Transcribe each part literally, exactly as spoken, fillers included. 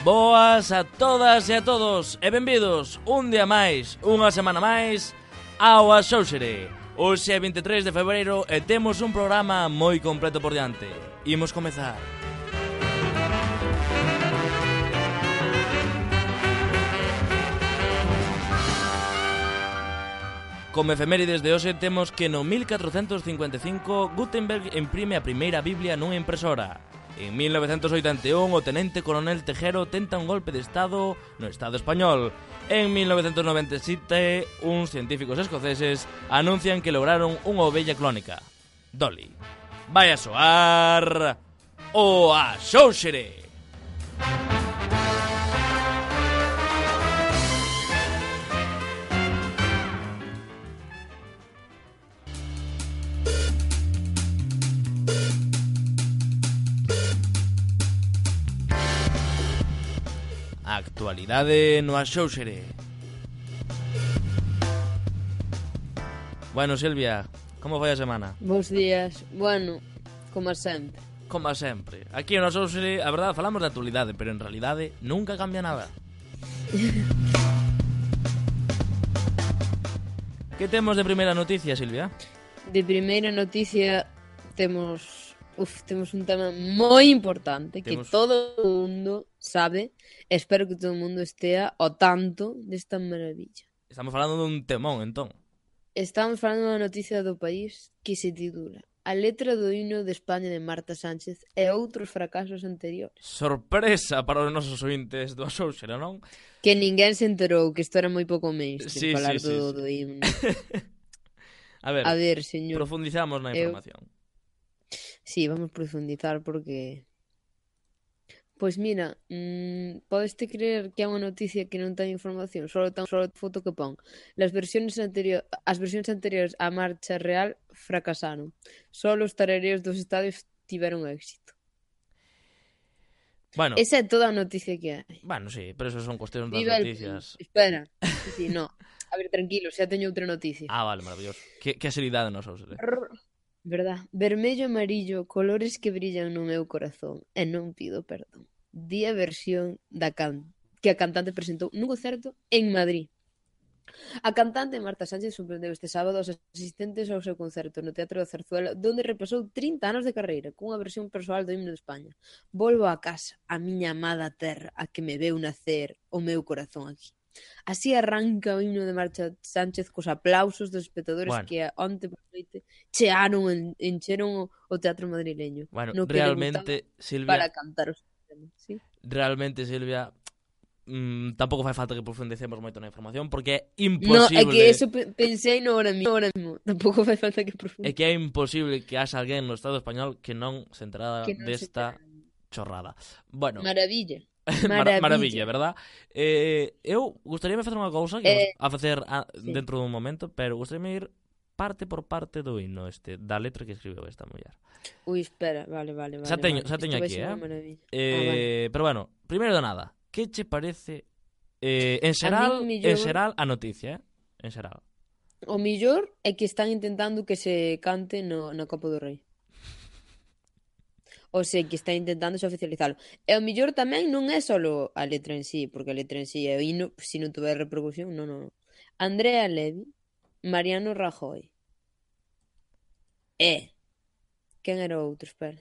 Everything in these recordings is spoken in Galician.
Boas a todas e a todos e benvidos un día máis, unha semana máis ao Axóuxere. Hoxe é vinte e tres de febreiro e temos un programa moi completo por diante. Imos comezar. Como efemérides de hoxe temos que no mil catrocentos cincuenta e cinco Gutenberg imprime a primeira Biblia nunha impresora. En mil novecentos oitenta e un o tenente coronel Tejero tenta un golpe de estado no Estado español. En mil novecentos noventa e sete, uns científicos escoceses anuncian que lograron unha ovella clónica, Dolly. Vai a soar o Axóuxere. Actualidade no Axóuxere. Bueno, Silvia, como foi a semana? Bos días. Bueno, como sempre. Como sempre. Aquí no Axóuxere, a verdade, falamos de actualidade, pero en realidade nunca cambia nada. Que temos de primeira noticia, Silvia? De primeira noticia temos... Uf, temos un tema moi importante temos... que todo o mundo sabe. Espero que todo o mundo estea ao tanto desta maravilla. Estamos falando dun temón, entón. Estamos falando da noticia do país que se titula A letra do himno de España de Marta Sánchez e outros fracasos anteriores. Sorpresa para os nosos ointes do Axóuxere, non? Que ninguén se enterou, que isto era moi pouco mainstream, sí, falar sí, do, sí, do himno. A ver, A ver, señor. Profundizamos na información. Eu... Sí, vamos profundizar porque... Pois mira, mmm, podeste creer que é unha noticia que non ten información, só ten só foto que pon. Las versiones anterior, as versións anteriores á marcha real fracasaron. Só os tarareos dos estadios tiveron éxito. Bueno, esa é toda a noticia que hai. Bueno, sí, pero eso son cuestións das Viva noticias. El... Espera, sí, no. A ver, tranquilo, xa teño outra noticia. Ah, vale, maravilloso. Que, que seriedade nos Axóuxere. Verdad, vermello e amarillo, colores que brillan no meu corazón e non pido perdón. Di a versión da can... que a cantante presentou nun concerto en Madrid. A cantante Marta Sánchez sorprendeu este sábado aos asistentes ao seu concerto no Teatro da Zarzuela, donde repasou trinta anos de carreira cunha versión persoal do himno de España. Volvo a casa, a miña amada terra, a que me veu nacer o meu corazón aquí. Así arranca o himno de Marta Sánchez cos aplausos dos espectadores bueno. que onte por noite chearon, encheron o teatro madrileño. Bueno, no realmente, Silvia... Para cantar os temas, ¿sí? Realmente, Silvia, mmm, tampouco fai falta que profundicemos moito na información, porque é imposible... No, é que eso pensei no ahora mismo, ahora mismo. Tampouco fai falta que profundicemos. É que é imposible que haxa alguén no Estado español que non se enterada no desta se chorrada. Bueno... Maravilla. Maravilla. Maravilla, verdad? Eh, eu gustaríame facer unha cousa que eh, a facer a, sí. dentro dun momento, pero gustaríame ir parte por parte do himno este, da letra que escribeu esta muller. Ui, espera, vale, vale, vale. Xa teño, vale. xa teño aquí, eh? eh ah, vale. Pero bueno, primeiro de nada, que che parece eh, en xeral, millor... en xeral a noticia, eh? En xeral. O millor é que están intentando que se cante no, no Copa do Rei. O sei que está intentando se oficializalo. E o millor tamén non é só a letra en sí, porque a letra en sí é o hino, se non tuver repercusión, non, non. Andrea Levy, Mariano Rajoy. E quen era o outro, espera.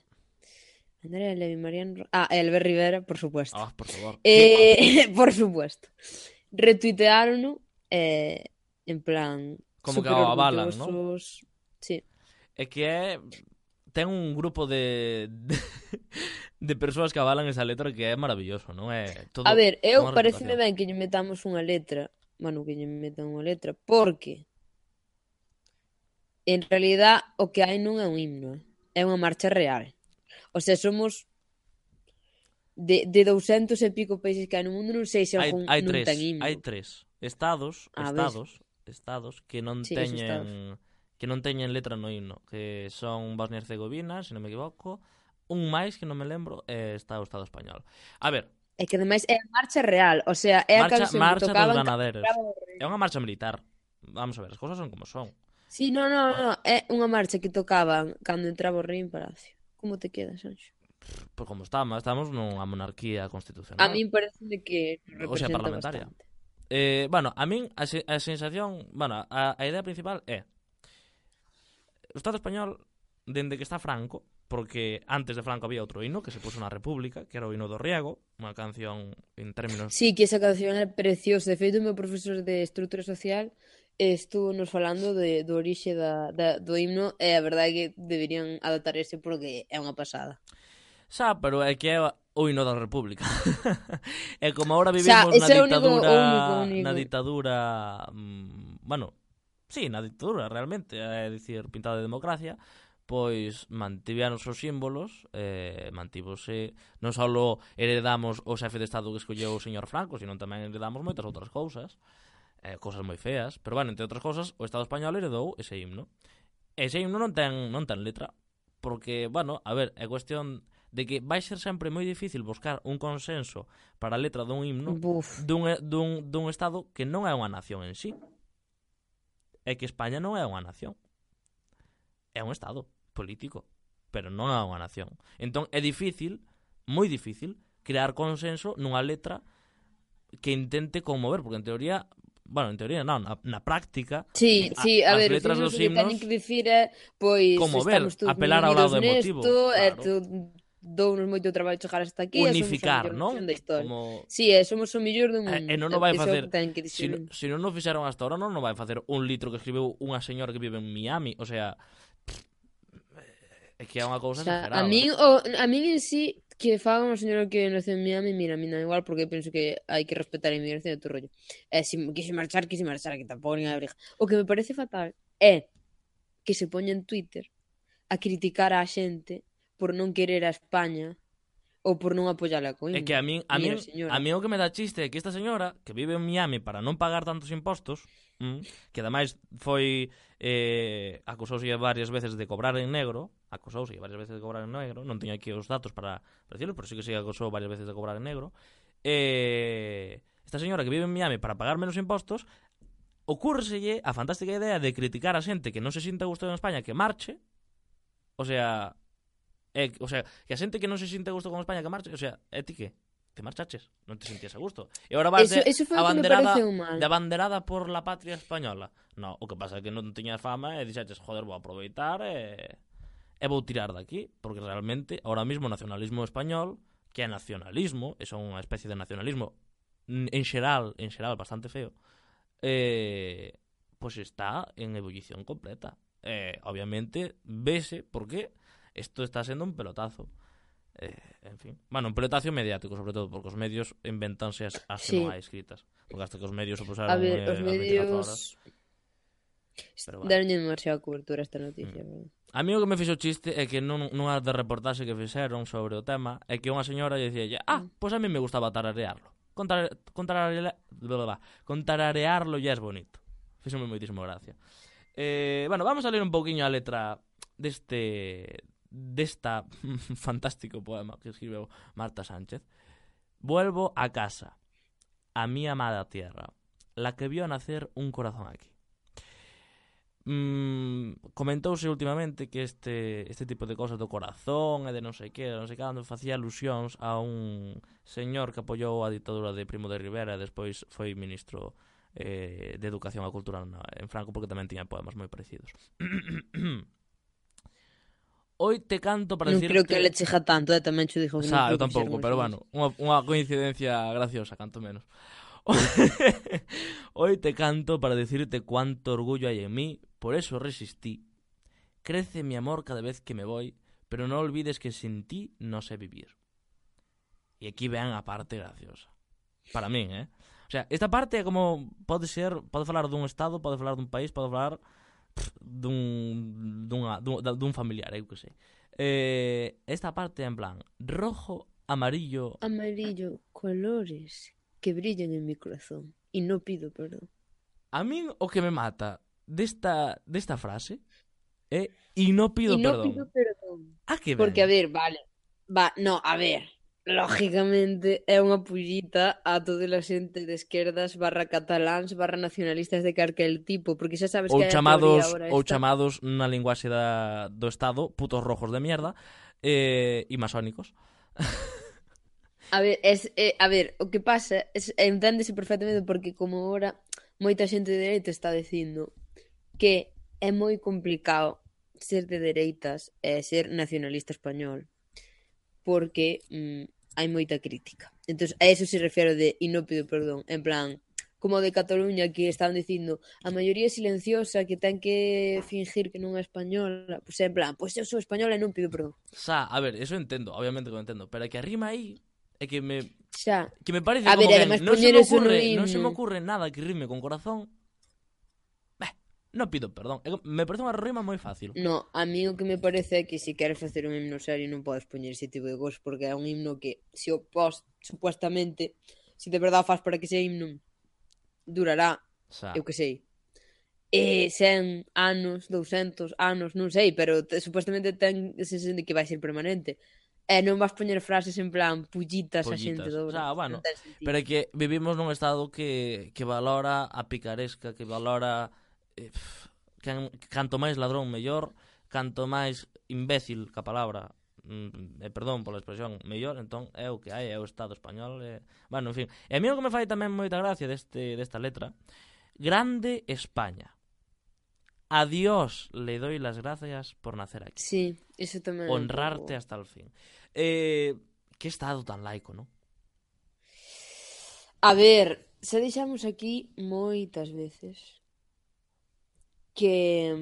Andrea Levy, Mariano... Ah, Albert Rivera, por supuesto. Ah, por favor. Eh, por supuesto. Retuitearon eh, en plan... Como que o avalan, ¿no? Sí. É que é... ten un grupo de, de de persoas que avalan esa letra que é maravilloso, non é? Todo, a ver, eu pareceme ben que lle metamos unha letra, bueno, que lle metan unha letra, porque en realidad o que hai non é un himno, é unha marcha real. O sea, somos de, de douscentos e pico países que hai no mundo, non sei se algún hai, hai non tres, ten himno. Hai tres estados, ah, estados, ves? estados que non sí, teñen... que non teñen letra no himno, que son Bosnia e Herzegovina, se non me equivoco, un máis que non me lembro, eh, está o Estado español. A ver... É que ademais é a marcha real, o sea, é a canción que tocaban... Marcha dos ganaderos. É unha marcha militar. Vamos a ver, as cousas son como son. Sí, non, non, non, é unha marcha que tocaban cando entraba o rei en Palacio. Como te quedas, Anxo? Pois como estamos, estamos nunha monarquía constitucional. A min parece que O sea, representa parlamentaria. bastante. Eh, bueno, a min a, se, a sensación, bueno, a, a idea principal é o Estado español, dende que está Franco, porque antes de Franco había outro hino que se puso na República, que era o hino do Riego, unha canción en términos... Sí, que esa canción é preciosa. De feito, o meu profesor de estrutura social estuvo nos falando de, do orixe da, da, do himno e a verdade é que deberían adaptar ese porque é unha pasada. Xa, pero é que é o hino da República. É como agora Xa, vivimos na ese é o único- ditadura, o único, o único. na ditadura, mm, bueno, sí, na ditadura realmente, é dicir, pintada de democracia, pois mantiveron os seus símbolos, eh, mantívose, non só heredamos o xefe de Estado que escolleu o señor Franco, sino tamén heredamos moitas outras cousas, eh, cousas moi feas, pero bueno, entre outras cousas, o Estado español heredou ese himno. Ese himno non ten, non ten letra, porque, bueno, a ver, é cuestión de que vai ser sempre moi difícil buscar un consenso para a letra dun himno Buf. dun, dun, dun Estado que non é unha nación en sí. É que España non é unha nación. É un Estado político, pero non é unha nación. Entón é difícil, moi difícil, crear consenso nunha letra que intente conmover, porque en teoría, bueno, en teoría non, na, na práctica, Sí, a- sí, a as ver, letras os dos que himnos teñen que dicir é, pois, conmover, estamos todos apelar ao unidos lado emotivo, nesto, e claro. tu, dounos moito traballo chegar hasta aquí, unificar, e somos a non? mellor nación da historia. Como Sí, e somos o mellor do mundo. E, e non o vai Eso é o facer que teñen que se, dicir. no, se non o fixeron hasta ahora non o vai facer un litro que escribeu unha señora que vive en Miami, o sea, é que é unha O cousa sea, exagerada. a min, o, a min en sí, que faga unha señora que nace en Miami, mira, a mí non igual, porque penso que hai que respetar a inmigración e todo rollo. E se quise marchar, quise marchar, que tampouco nin a briga. O que me parece fatal é que se poña en Twitter a criticar a xente por non querer a España ou por non apoiar a Coimbra. É que a min, a min, Mira, señora. a min o que me dá chiste é que esta señora que vive en Miami para non pagar tantos impostos, mm, que ademais foi eh, acusouse varias veces de cobrar en negro, acusouse varias veces de cobrar en negro, non teño aquí os datos para, para decirlo, pero sí que se acusou varias veces de cobrar en negro. Eh, esta señora que vive en Miami para pagar menos impostos, ocúrselle a fantástica idea de criticar a xente que non se sinta a gusto en España que marche, o sea, é, o sea, que a xente que non se sinta a gusto con España que marche, o sea, é ti que te marchaches, non te sentías a gusto. E agora vas Eso, de eso foi o que me abanderada, pareceu mal. de abanderada por la patria española. No, o que pasa é que non tiñas fama e dixaches, joder, vou aproveitar e, e vou tirar daqui, porque realmente, ahora mismo o nacionalismo español, que é nacionalismo, é son unha especie de nacionalismo en xeral, en xeral bastante feo, eh, pois pues está en ebullición completa. Eh, obviamente, vese porque isto está sendo un pelotazo. Eh, en fin, bueno, un pelotazo mediático, sobre todo, porque os medios inventanse as, as que Sí. non hai escritas. Porque hasta que os medios se pusaron A ver, eh, os as veinticuatro horas. medios Pero bueno. deronlle demasiada cobertura a esta noticia. Mm. verdad. A mí o que me fixo chiste é que non, nunha de reportaxe que fixeron sobre o tema é que unha señora lle dicía, ah, pois pues a mí me gustaba tararearlo. Contar, contrarare, contrararearlo ya es bonito. Fíxome moitísimo gracia. Eh, bueno, vamos a ler un pouquiño a letra deste desta fantástico poema que escribeu Marta Sánchez. Vuelvo a casa, a mi amada tierra, la que vio nacer un corazón aquí. Mm, comentouse últimamente que este este tipo de cosas do corazón e de non sei que, non sei cando facía alusións a un señor que apoiou a ditadura de Primo de Rivera e despois foi ministro eh, de Educación e Cultura en Franco, porque tamén tiña poemas moi parecidos. Hoy te canto para Non decirte... creo que le cheja tanto, eh, tamén cho dixo que Xa, eu non creo que tampouco, fixeron pero así. bueno, unha, unha coincidencia graciosa, canto menos. Hoy te canto para decirte cuánto orgullo hay en mí, por eso resistí. Crece mi amor cada vez que me voy, pero no olvides que sin ti no sé vivir. E aquí vean a parte graciosa. Para min, eh? O sea, esta parte é como, pode ser, pode falar dun estado, pode falar dun país, pode falar pff, dun, dunha, dun, dun familiar, eu que sei. Eh, esta parte é en plan, rojo, amarillo... Amarillo, colores que brillan en mi corazón. Y no pido perdón. A min o que me mata desta, desta frase é e no pido y no perdón. pido perdón. A que ven? Porque, a ver, vale. Va, no, a ver. lógicamente é unha pullita a toda a xente de esquerdas barra cataláns barra nacionalistas de calquel tipo, porque xa sabes Ou que hai a teoría chamados agora ou esta. chamados na linguaxe da, do Estado putos rojos de mierda eh, e masónicos. A ver, es, eh, a ver, o que pasa es, enténdese perfectamente porque como ahora moita xente de dereita está dicindo que é moi complicado ser de dereitas e ser nacionalista español porque mm, hai moita crítica. Entón, a eso se refiero de e non pido perdón, en plan, como de Cataluña que estaban dicindo a maioría silenciosa que ten que fingir que non é española, pois pues, en plan, pois pues eu sou española e non pido perdón. Xa, a ver, eso entendo, obviamente que lo entendo, pero é que a rima aí é que me Xa. que me parece A como ver, que además non se poñer me eso no ocurre, non se me himno. ocurre nada que rime con corazón. Beh, non pido perdón. É que me parece unha rima moi fácil. No, a mí o que me parece é que se queres facer un himno serio non podes poñer ese tipo de cosas porque é un himno que se o pos, supuestamente, se de verdade faz para que ese himno durará, Xa. eu que sei, eh, cen anos, douscentos anos, non sei, pero te, supuestamente ten ese senso de que vai ser permanente. E non vas poñer frases en plan pullitas a xente Pollitas. de O obra. sea, bueno, Non ten sentido. pero é que vivimos nun estado que, que valora a picaresca, que valora eh, pff, can, canto máis ladrón mellor, canto máis imbécil ca palabra, mm, eh, perdón pola expresión, mellor, entón é o que hai, é o Estado español, eh, bueno, en fin. E a mí o que me fai tamén moita gracia deste desta letra, grande España. A Dios le doy las gracias por nacer aquí. Sí, eso tamén. Honrarte pouco... hasta el fin. Eh, que estado tan laico, non? A ver, xa deixamos aquí moitas veces que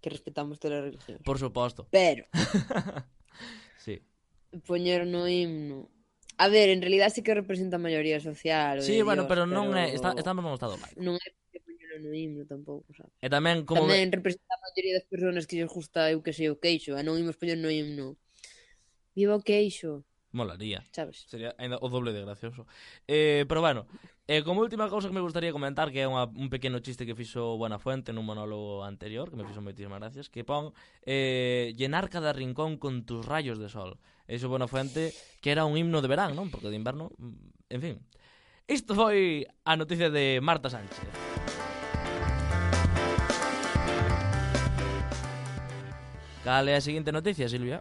que respetamos todas as religións. Por suposto. Pero sí. Poñer no himno. A ver, en realidad sí que representa a maioría social. Sí, bueno, Dios, pero non pero... é, está, estamos nun estado laico. Non é que poñelo no himno tampouco, sabes? E tamén como Tamén que... representa a maioría das persoas que lles gusta, eu que sei, o queixo, e non imos poñer no himno. Viva o queixo. Molaría. Sabes? Sería ainda o doble de gracioso. Eh, pero bueno, eh, como última cousa que me gustaría comentar, que é unha, un pequeno chiste que fixo Buenafuente nun monólogo anterior, que me fixo moitísimas gracias, que pon eh, llenar cada rincón con tus rayos de sol. Eso Buenafuente, que era un himno de verán, non? Porque de inverno, en fin. Isto foi a noticia de Marta Sánchez. Cal é a seguinte noticia, Silvia?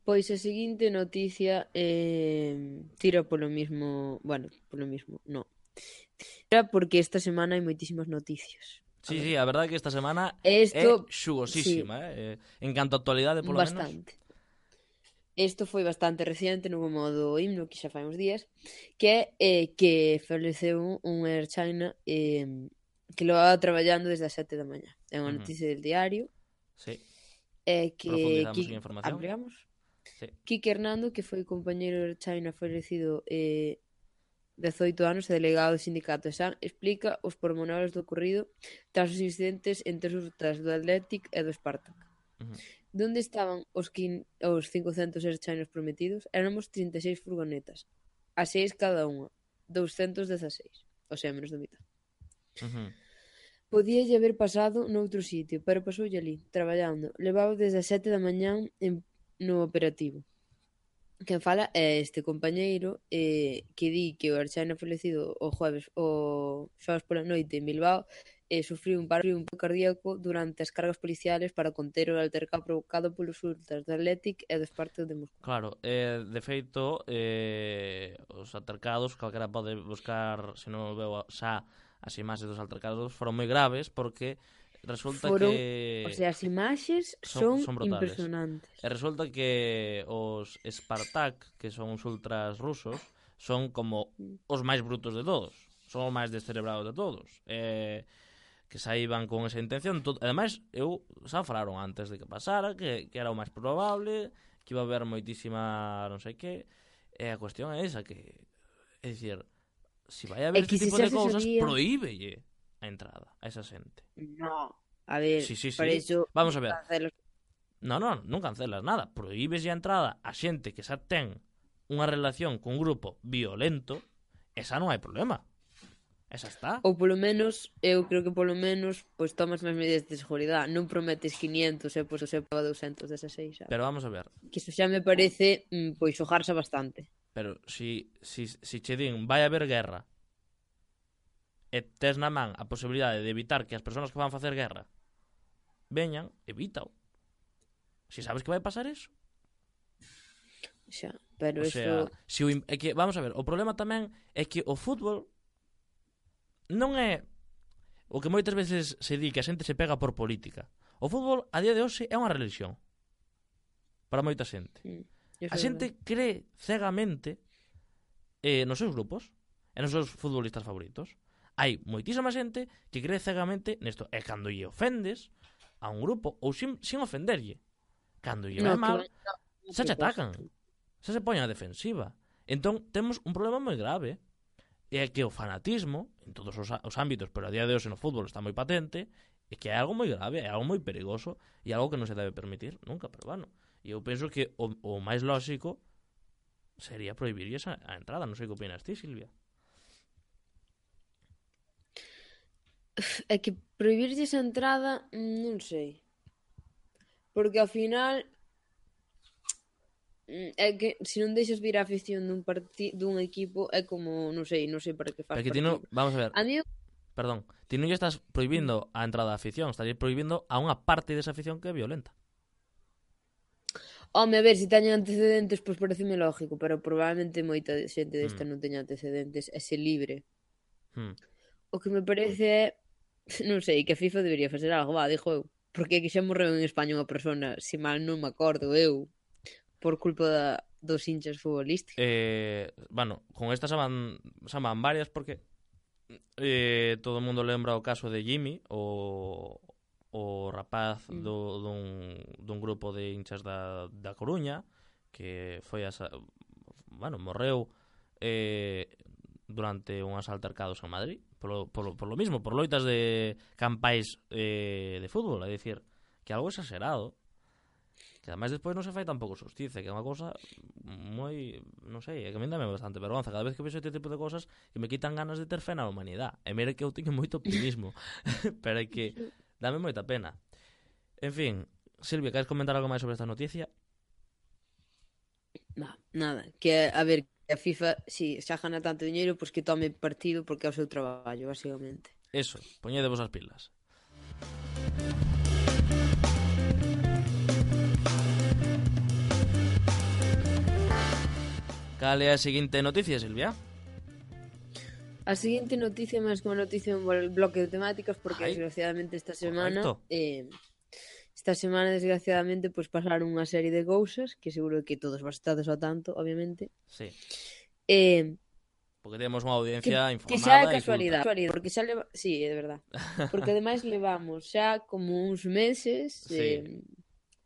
Pois a seguinte noticia eh, tira polo mismo... Bueno, polo mismo, no. Tira porque esta semana hai moitísimas noticias. Sí, sí, a verdade é que esta semana Esto, é xugosísima, sí. eh? En canto a actualidade, polo bastante. Menos. Isto foi bastante reciente, no modo himno, que xa fai uns días, que é eh, que faleceu un Air China eh, que lo va traballando desde as sete da mañá. É unha noticia uh -huh. del diario. Sí. Eh, que, Profundizamos que en información. Ampliamos. Sí. Quique Hernando, que foi compañeiro de China falecido eh, dezoito anos e delegado do sindicato de San, explica os pormenores do ocorrido tras os incidentes entre os ultras do Athletic e do Spartak. Uh -huh. Donde estaban os, quin... os cincocentos Air Chinos prometidos? Éramos trinta e seis furgonetas, a seis cada unha, douscentos dezaseis, o sea, menos da mitad. Uh -huh. Podíalle haber pasado noutro sitio, pero pasoulle ali, traballando. Levaba desde as sete da mañán en no operativo. Quen fala é este compañeiro eh, que di que o Air China falecido o jueves o xoves pola noite en Bilbao eh, sufriu un paro un cardíaco durante as cargas policiales para conter o altercado provocado polos ultras do Athletic e do Spartak de Moscou. Claro, eh, de feito eh, os altercados, calquera pode buscar, se non o veo xa as imaxes dos altercados, foron moi graves porque resulta foron, que... O sea, as imaxes son, son, son impresionantes. E resulta que os Spartak, que son os ultras rusos, son como os máis brutos de todos. Son os máis descerebrados de todos. Eh, que saíban con esa intención. Todo... Ademais, eu xa falaron antes de que pasara, que, que era o máis probable, que iba a haber moitísima non sei que. E a cuestión é esa, que... É dicir, se vai haber este tipo de cousas, sabía... prohíbelle a entrada a esa xente. No, a ver, sí, sí, sí. para iso vamos a ver. Cancelos. No, no, non cancelas nada. Prohíbes a entrada a xente que xa ten unha relación cun grupo violento, esa non hai problema. Esa está. Ou polo menos, eu creo que polo menos pois tomas máis medidas de seguridade, non prometes quinientos e pois o sepa doscientos dezaseis, sabes? Pero vamos a ver. Que iso xa me parece mm, pois xogarse bastante. Pero si, si, si che din vai haber guerra e tes na man a posibilidade de evitar que as persoas que van facer guerra veñan, evítao. Si sabes que vai pasar eso. Xa, pero O eso... sea, si o, é que, vamos a ver, o problema tamén é que o fútbol non é o que moitas veces se di que a xente se pega por política. O fútbol a día de hoxe é unha religión para moita xente. Mm, A xente cree cegamente eh, nos seus grupos e nos seus futbolistas favoritos. Hai moitísima xente que cree cegamente nesto. E cando lle ofendes a un grupo, ou sin, sin ofenderlle, cando lle vai No, mal, que va- no, xa che propósito. atacan, xa se poñen a defensiva. Entón temos un problema moi grave. E é que o fanatismo, en todos os, os ámbitos, pero a día de hoxe no fútbol está moi patente, é que é algo moi grave, é algo moi perigoso e algo que non se debe permitir nunca, pero bueno. E eu penso que o, o máis lóxico sería prohibir esa a entrada. Non sei que opinas ti, Silvia. É que prohibirlle esa entrada, mm, non sei. Porque ao final mm, é que se non deixas vir a afición dun parti dun equipo é como, non sei, non sei para que faz Porque ti non, partido. vamos a ver, A mí perdón, ti non lle estás prohibindo a entrada da afición, estás prohibindo a unha parte desa afición que é violenta. Home, a ver, se teñen antecedentes, pois pareceme lógico, pero probablemente moita xente desta Mm. non teña antecedentes e se libre. Hmm. O que me parece é, non sei, que a FIFA debería facer algo, va, dixo eu. Porque é que xa morreu en España unha persona, se mal non me acordo eu, por culpa da, dos hinchas futbolísticos. Eh, bueno, con estas xa van, xa van varias porque eh, todo o mundo lembra o caso de Jimmy, o, o rapaz Mm. do, dun, dun grupo de hinchas da, da Coruña que foi asa, bueno, morreu eh, durante unhas altercados en Madrid polo, polo, por lo mismo, por loitas de campais eh, de fútbol, é dicir, que algo exagerado, que ademais despois non se fai tampouco xustiza, que é unha cosa moi, non sei, é que a mí dame bastante vergonza cada vez que vexo este tipo de cosas que me quitan ganas de ter fe na humanidade. E mire que eu teño moito optimismo, pero é que dame moita pena. En fin, Silvia, queres comentar algo máis sobre esta noticia? Nah, nada, que a ver, que a FIFA, si xa gana tanto dinheiro, pois que tome partido porque é o seu traballo, basicamente. Eso, poñedevos as pilas. Cal é a seguinte noticia, Silvia? A seguinte noticia é máis que unha noticia un bloque de temáticas porque Ai, desgraciadamente esta semana correcto. eh, esta semana desgraciadamente pois pasaron unha serie de cousas que seguro que todos vos estades ao tanto, obviamente. Sí, Eh, porque temos unha que, audiencia que xa é informada e casualidade, culta. casualidade, porque xa leva, sí, é de verdad. Porque ademais levamos xa como uns meses eh, Sí.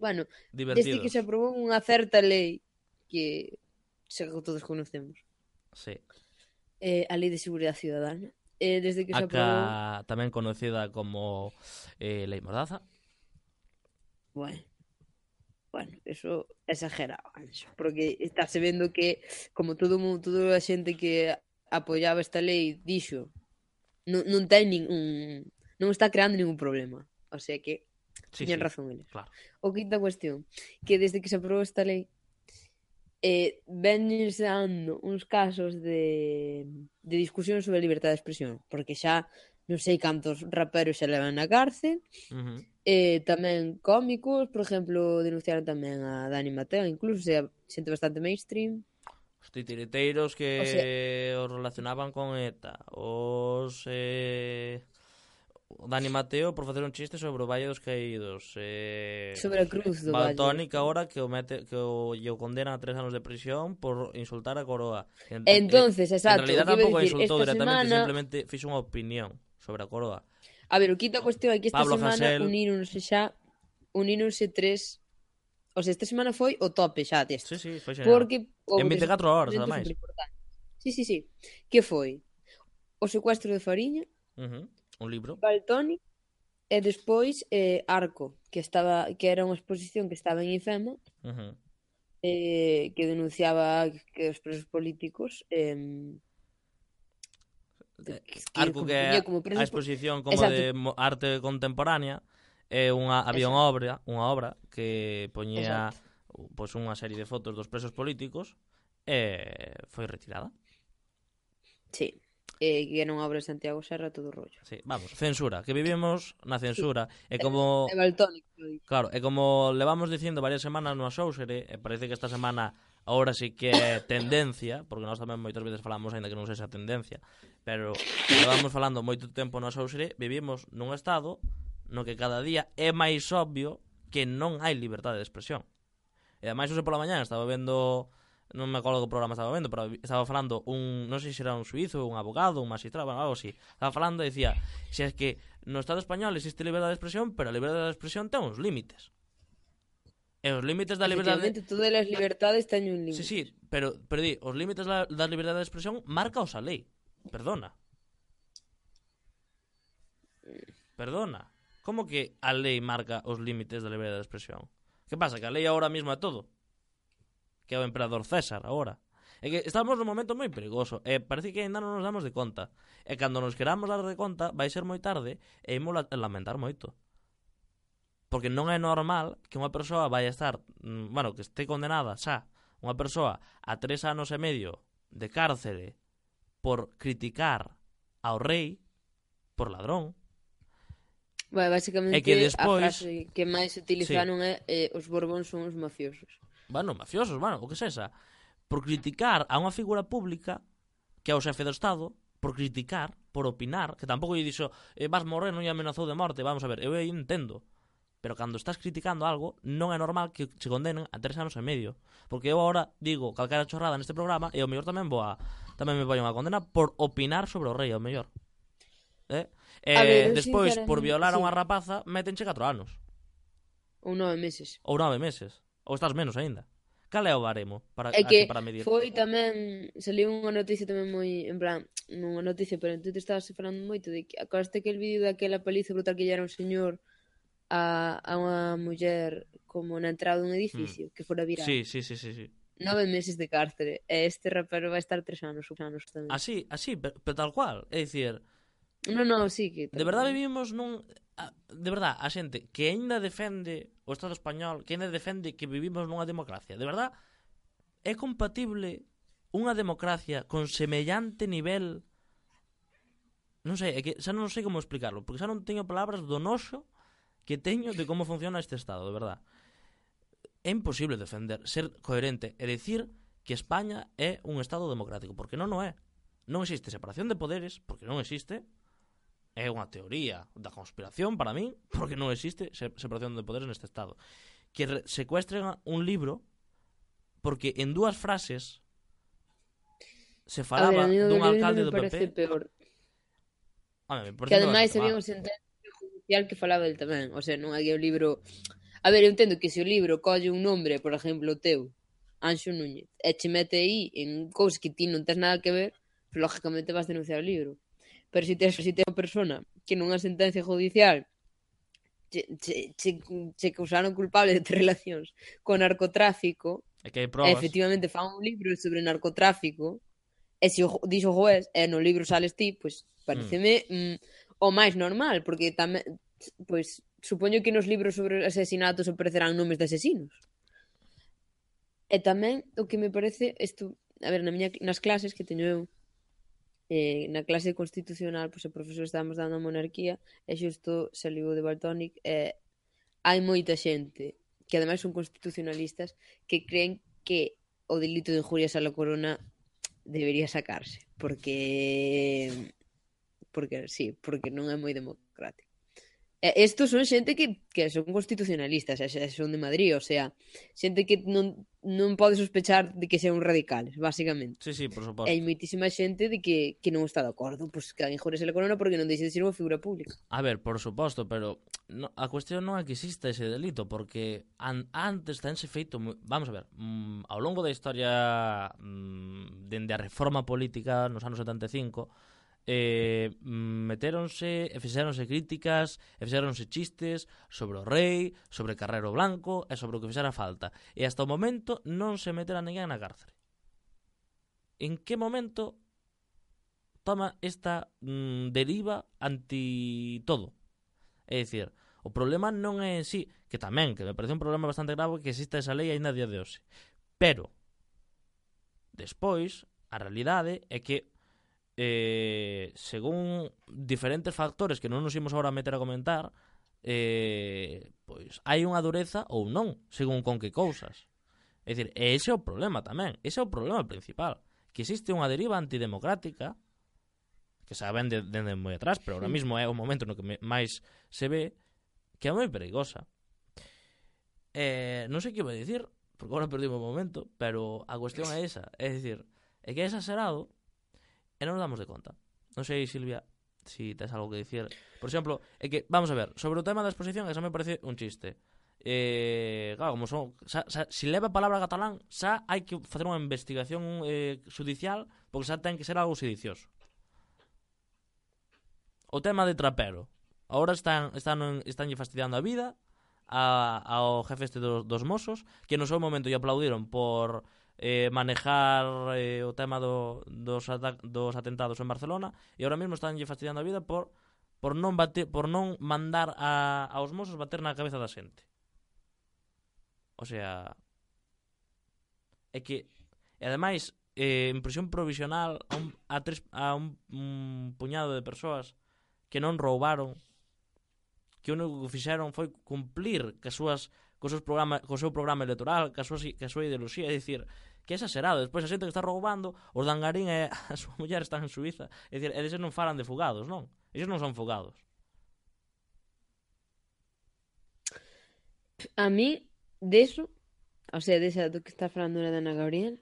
bueno, desde Divertidos. que se aprobou unha certa lei que xa que todos conocemos. Sí. Eh, a Lei de Seguridade Ciudadana. Eh, desde que se aprobou, Acá tamén conocida como eh, Lei Mordaza. bueno, bueno, eso é exagerado, Anxo, porque estáse vendo que como todo o mundo, toda a xente que apoiaba esta lei dixo, non, non ten ningún, non está creando ningún problema. O sea que Sí, tiñan sí, razón eles. claro. O quinta cuestión, que desde que se aprobou esta lei eh, vense dando uns casos de, de discusión sobre a libertade de expresión, porque xa non sei cantos raperos xa levan na cárcel, Uh-huh. eh, tamén cómicos, por exemplo, denunciaron tamén a Dani Mateo, incluso, o sea, xente bastante mainstream. Os titiriteiros que O sea- os relacionaban con ETA. Os... Eh... o Dani Mateo por facer un chiste sobre o Valle dos Caídos. Eh... Sobre a cruz do Valtoni Valle. que agora que o, mete, que o, lle o condena a tres anos de prisión por insultar a Coroa. En, Entonces, en, exacto, en realidad o que iba a tampouco a dicir, insultou esta directamente, semana- simplemente fixo unha opinión sobre a Coroa. A ver, o quinta cuestión é que esta Pablo semana Hasél. uníronse xa uníronse tres. O sea, esta semana foi o tope xa deste. Sí, sí, foi xeral. Porque En veinticuatro horas, eventos ademais. superimportantes. Sí, sí, sí. Que foi? O secuestro de Fariña, Uh-huh. Un libro. Valtoni e despois eh, Arco, que estaba que era unha exposición que estaba en IFEMA, Uh-huh. eh, que denunciaba que os presos políticos eh, Eh, Que, Arco como que é tiña como a preso... exposición como Exacto. de mo- arte contemporánea, é unha había unha obra, unha obra que poñía Exacto. pois unha serie de fotos dos presos políticos e foi retirada. Sí. Eh, que era unha obra de Santiago Serra, todo o rollo. Sí, vamos, censura, que vivimos na Sí. censura. É É, como é Baltónico, lo dixo. Claro, é como levamos dicindo varias semanas no Axóusere, e parece que esta semana agora sí que é tendencia, porque nós tamén moitas veces falamos, aínda que non sexa tendencia, pero levamos falando moito tempo no Axóusere, vivimos nun estado no que cada día é máis obvio que non hai liberdade de expresión. E ademais, hoxe pola mañá estaba vendo, non me acordo que programa estaba vendo, pero estaba falando un, non sei se era un suizo, un abogado, un magistrado, algo así. Estaba falando e dicía, se es que no Estado español existe liberdade de expresión, pero a liberdade de expresión ten uns límites. E os límites da liberdade... Efectivamente, todas as libertades teñen un límite. Sí, sí, pero, pero di, os límites da, da liberdade de expresión marca os a lei. Perdona. Perdona. Como que a lei marca os límites da liberdade de expresión? Que pasa? Que a lei agora mesmo é todo. Que é o emperador César agora. É que estamos nun momento moi perigoso. E parece que ainda non nos damos de conta. E cando nos queramos dar de conta, vai ser moi tarde e imos lamentar moito. Porque non é normal que unha persoa vai estar, bueno, que este condenada xa, unha persoa a tres anos e medio de cárcere por criticar ao rei, por ladrón. Bueno, basicamente, E que despois... a frase que máis utilizaron sí. é eh, os borbóns son os mafiosos. Bueno, mafiosos, bueno, o que sexa. Por criticar a unha figura pública que é o xefe do Estado, por criticar, por opinar, que tampouco lle dixo eh, vas morrer, non lle amenazou de morte, vamos a ver, eu entendo. Pero cando estás criticando algo, non é normal que se condenen a tres anos e medio. Porque eu agora digo calquera chorrada neste programa e ao mellor tamén vou a, tamén me vai unha condena por opinar sobre o rei, ao mellor. Eh? E ver, despois, por violar a sí. unha rapaza, métenche catro anos. Ou nove meses. Ou nove meses. Ou estás menos aínda. Cal é o baremo para, É que para medir? foi tamén, saliu unha noticia tamén moi, en plan, non unha noticia, pero tú te estabas falando moito de que acordaste que el vídeo daquela paliza brutal que lle era un señor a, a unha muller como na entrada dun edificio, mm. que fora viral. Sí, sí, sí, sí, sí. Nove meses de cárcere. E este rapero vai estar tres anos, anos tamén. Así, así, pero, pero tal cual. É dicir... Non, non, sí que... De verdade vivimos nun... De verdade, a xente que aínda defende o Estado español, que aínda defende que vivimos nunha democracia, de verdade, é compatible unha democracia con semellante nivel... Non sei, é que xa non sei como explicarlo, porque xa non teño palabras do noxo que teño de como funciona este Estado, de verdade. É imposible defender, ser coherente e decir que España é un Estado democrático, porque non o é. Non existe separación de poderes, porque non existe. É unha teoría da conspiración para min, porque non existe separación de poderes neste Estado. Que secuestren un libro porque en dúas frases se falaba ver, dun alcalde do P P. Peor. A ver, que ademais había un sentencia judicial que falaba del tamén. O sea, non hai un libro... A ver, eu entendo que se o libro colle un nombre, por exemplo, o teu, Anxo Núñez, e che mete aí en cousas que ti non tens nada que ver, pues, lógicamente vas denunciar o libro. Pero se tes, se tes unha persona que nunha sentencia judicial che, che, che, che causaron culpable de ter relacións con narcotráfico, e que hai probas, e efectivamente fan un libro sobre narcotráfico, e se o dixo o juez, e no libro sales ti, pois pues, pareceme mm. mm, o máis normal, porque tamén, pois, pues, supoño que nos libros sobre asesinatos aparecerán nomes de asesinos. E tamén o que me parece isto, a ver, na miña, nas clases que teño eu, eh, na clase constitucional, pois, o profesor estábamos dando a monarquía e xusto saliu de Baltónic e hai moita xente que ademais son constitucionalistas que creen que o delito de injurias a la corona debería sacarse porque porque sí, porque non é moi democrático. E estos son xente que, que son constitucionalistas, e son de Madrid, o sea, xente que non, non pode sospechar de que sean radicales, basicamente. Sí, sí, por suposto. E hai moitísima xente de que, que non está de acordo, pois pues, que injures a corona porque non deixe de ser unha figura pública. A ver, por suposto, pero no, a cuestión non é que exista ese delito, porque an, antes tense feito, vamos a ver, mmm, ao longo da historia mmm, dende a reforma política nos anos setenta e cinco, eh, meteronse e fixeronse críticas e fixeronse chistes sobre o rei, sobre Carrero Blanco e sobre o que fixera falta, e hasta o momento non se metera ninguén na cárcere. En que momento toma esta mm, deriva anti todo. É dicir, o problema non é en sí, que tamén, que me parece un problema bastante grave que exista esa lei ainda a día de hoxe. Pero, despois, a realidade é que eh, según diferentes factores que non nos imos agora a meter a comentar, eh, pois hai unha dureza ou non, según con que cousas. É dicir, ese é o problema tamén, ese é o problema principal, que existe unha deriva antidemocrática que se ven de, de, de moi atrás, pero ahora mismo é o momento no que me, máis se ve, que é moi perigosa. Eh, non sei que iba a dicir, porque agora perdi o momento, pero a cuestión é esa, é dicir, é que é exagerado e non nos damos de conta. Non sei, Silvia, si tes algo que dicir. Por exemplo, é que, vamos a ver, sobre o tema da exposición, esa me parece un chiste. Eh, claro, como son, xa, xa, si leva a palabra catalán, xa hai que facer unha investigación eh, judicial, porque xa ten que ser algo sedicioso. O tema de trapero. Ahora están están estánlle fastidiando a vida a, ao jefe este dos, dos Mossos, que no seu momento lle aplaudiron por eh, manejar eh, o tema do, dos, dos atentados en Barcelona, e ahora mesmo estánlle fastidiando a vida por por non bater, por non mandar a, aos Mossos bater na cabeza da xente. O sea, é que e ademais eh, en prisión provisional a un, a tres, a un, un puñado de persoas que non roubaron, que o único que fixeron foi cumplir que as súas, co, seus programa, co seu programa electoral, que a súa, que a súa ideoloxía, é dicir, que é exagerado. Despois a xente que está roubando, os dangarín e a súa muller están en Suiza, é dicir, eles non falan de fugados, non? Eles non son fugados. A mí, deso, o sea, desa do que está falando na Ana Gabriel,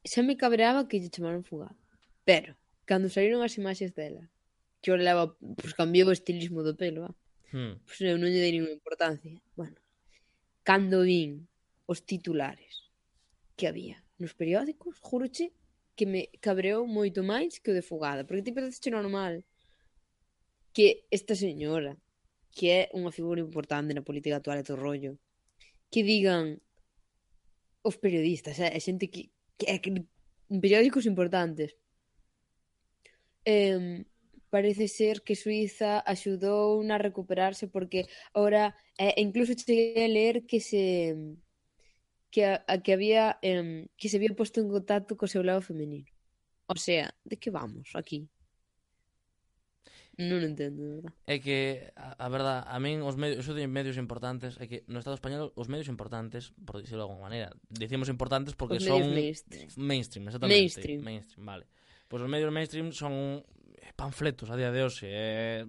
xa me cabreaba que lle chamaron fugado. Pero, cando saíron as imaxes dela, que eu leva, pues cambiou o estilismo do pelo, va. Hmm. Pues eu non lle dei ninguna importancia. Bueno, cando vin os titulares que había nos periódicos, juroche que me cabreou moito máis que o de fugada, porque ti parece normal que esta señora, que é unha figura importante na política actual e todo rollo, que digan os periodistas, é, é xente que, que é que, en periódicos importantes, eh, parece ser que Suiza axudou a recuperarse porque ahora, eh, incluso cheguei a ler que se que, a, a que había eh, que se había posto en contacto co seu lado femenino. O sea, de que vamos aquí? Non entendo, de verdad. É que, a, a verdad, a min os medios, eso de medios importantes, é que no Estado español os medios importantes, por dicirlo de alguma maneira, decimos importantes porque os son mainstream. mainstream, exactamente. Mainstream. Mainstream, vale. Pois os medios mainstream son panfletos a día de hoxe. É,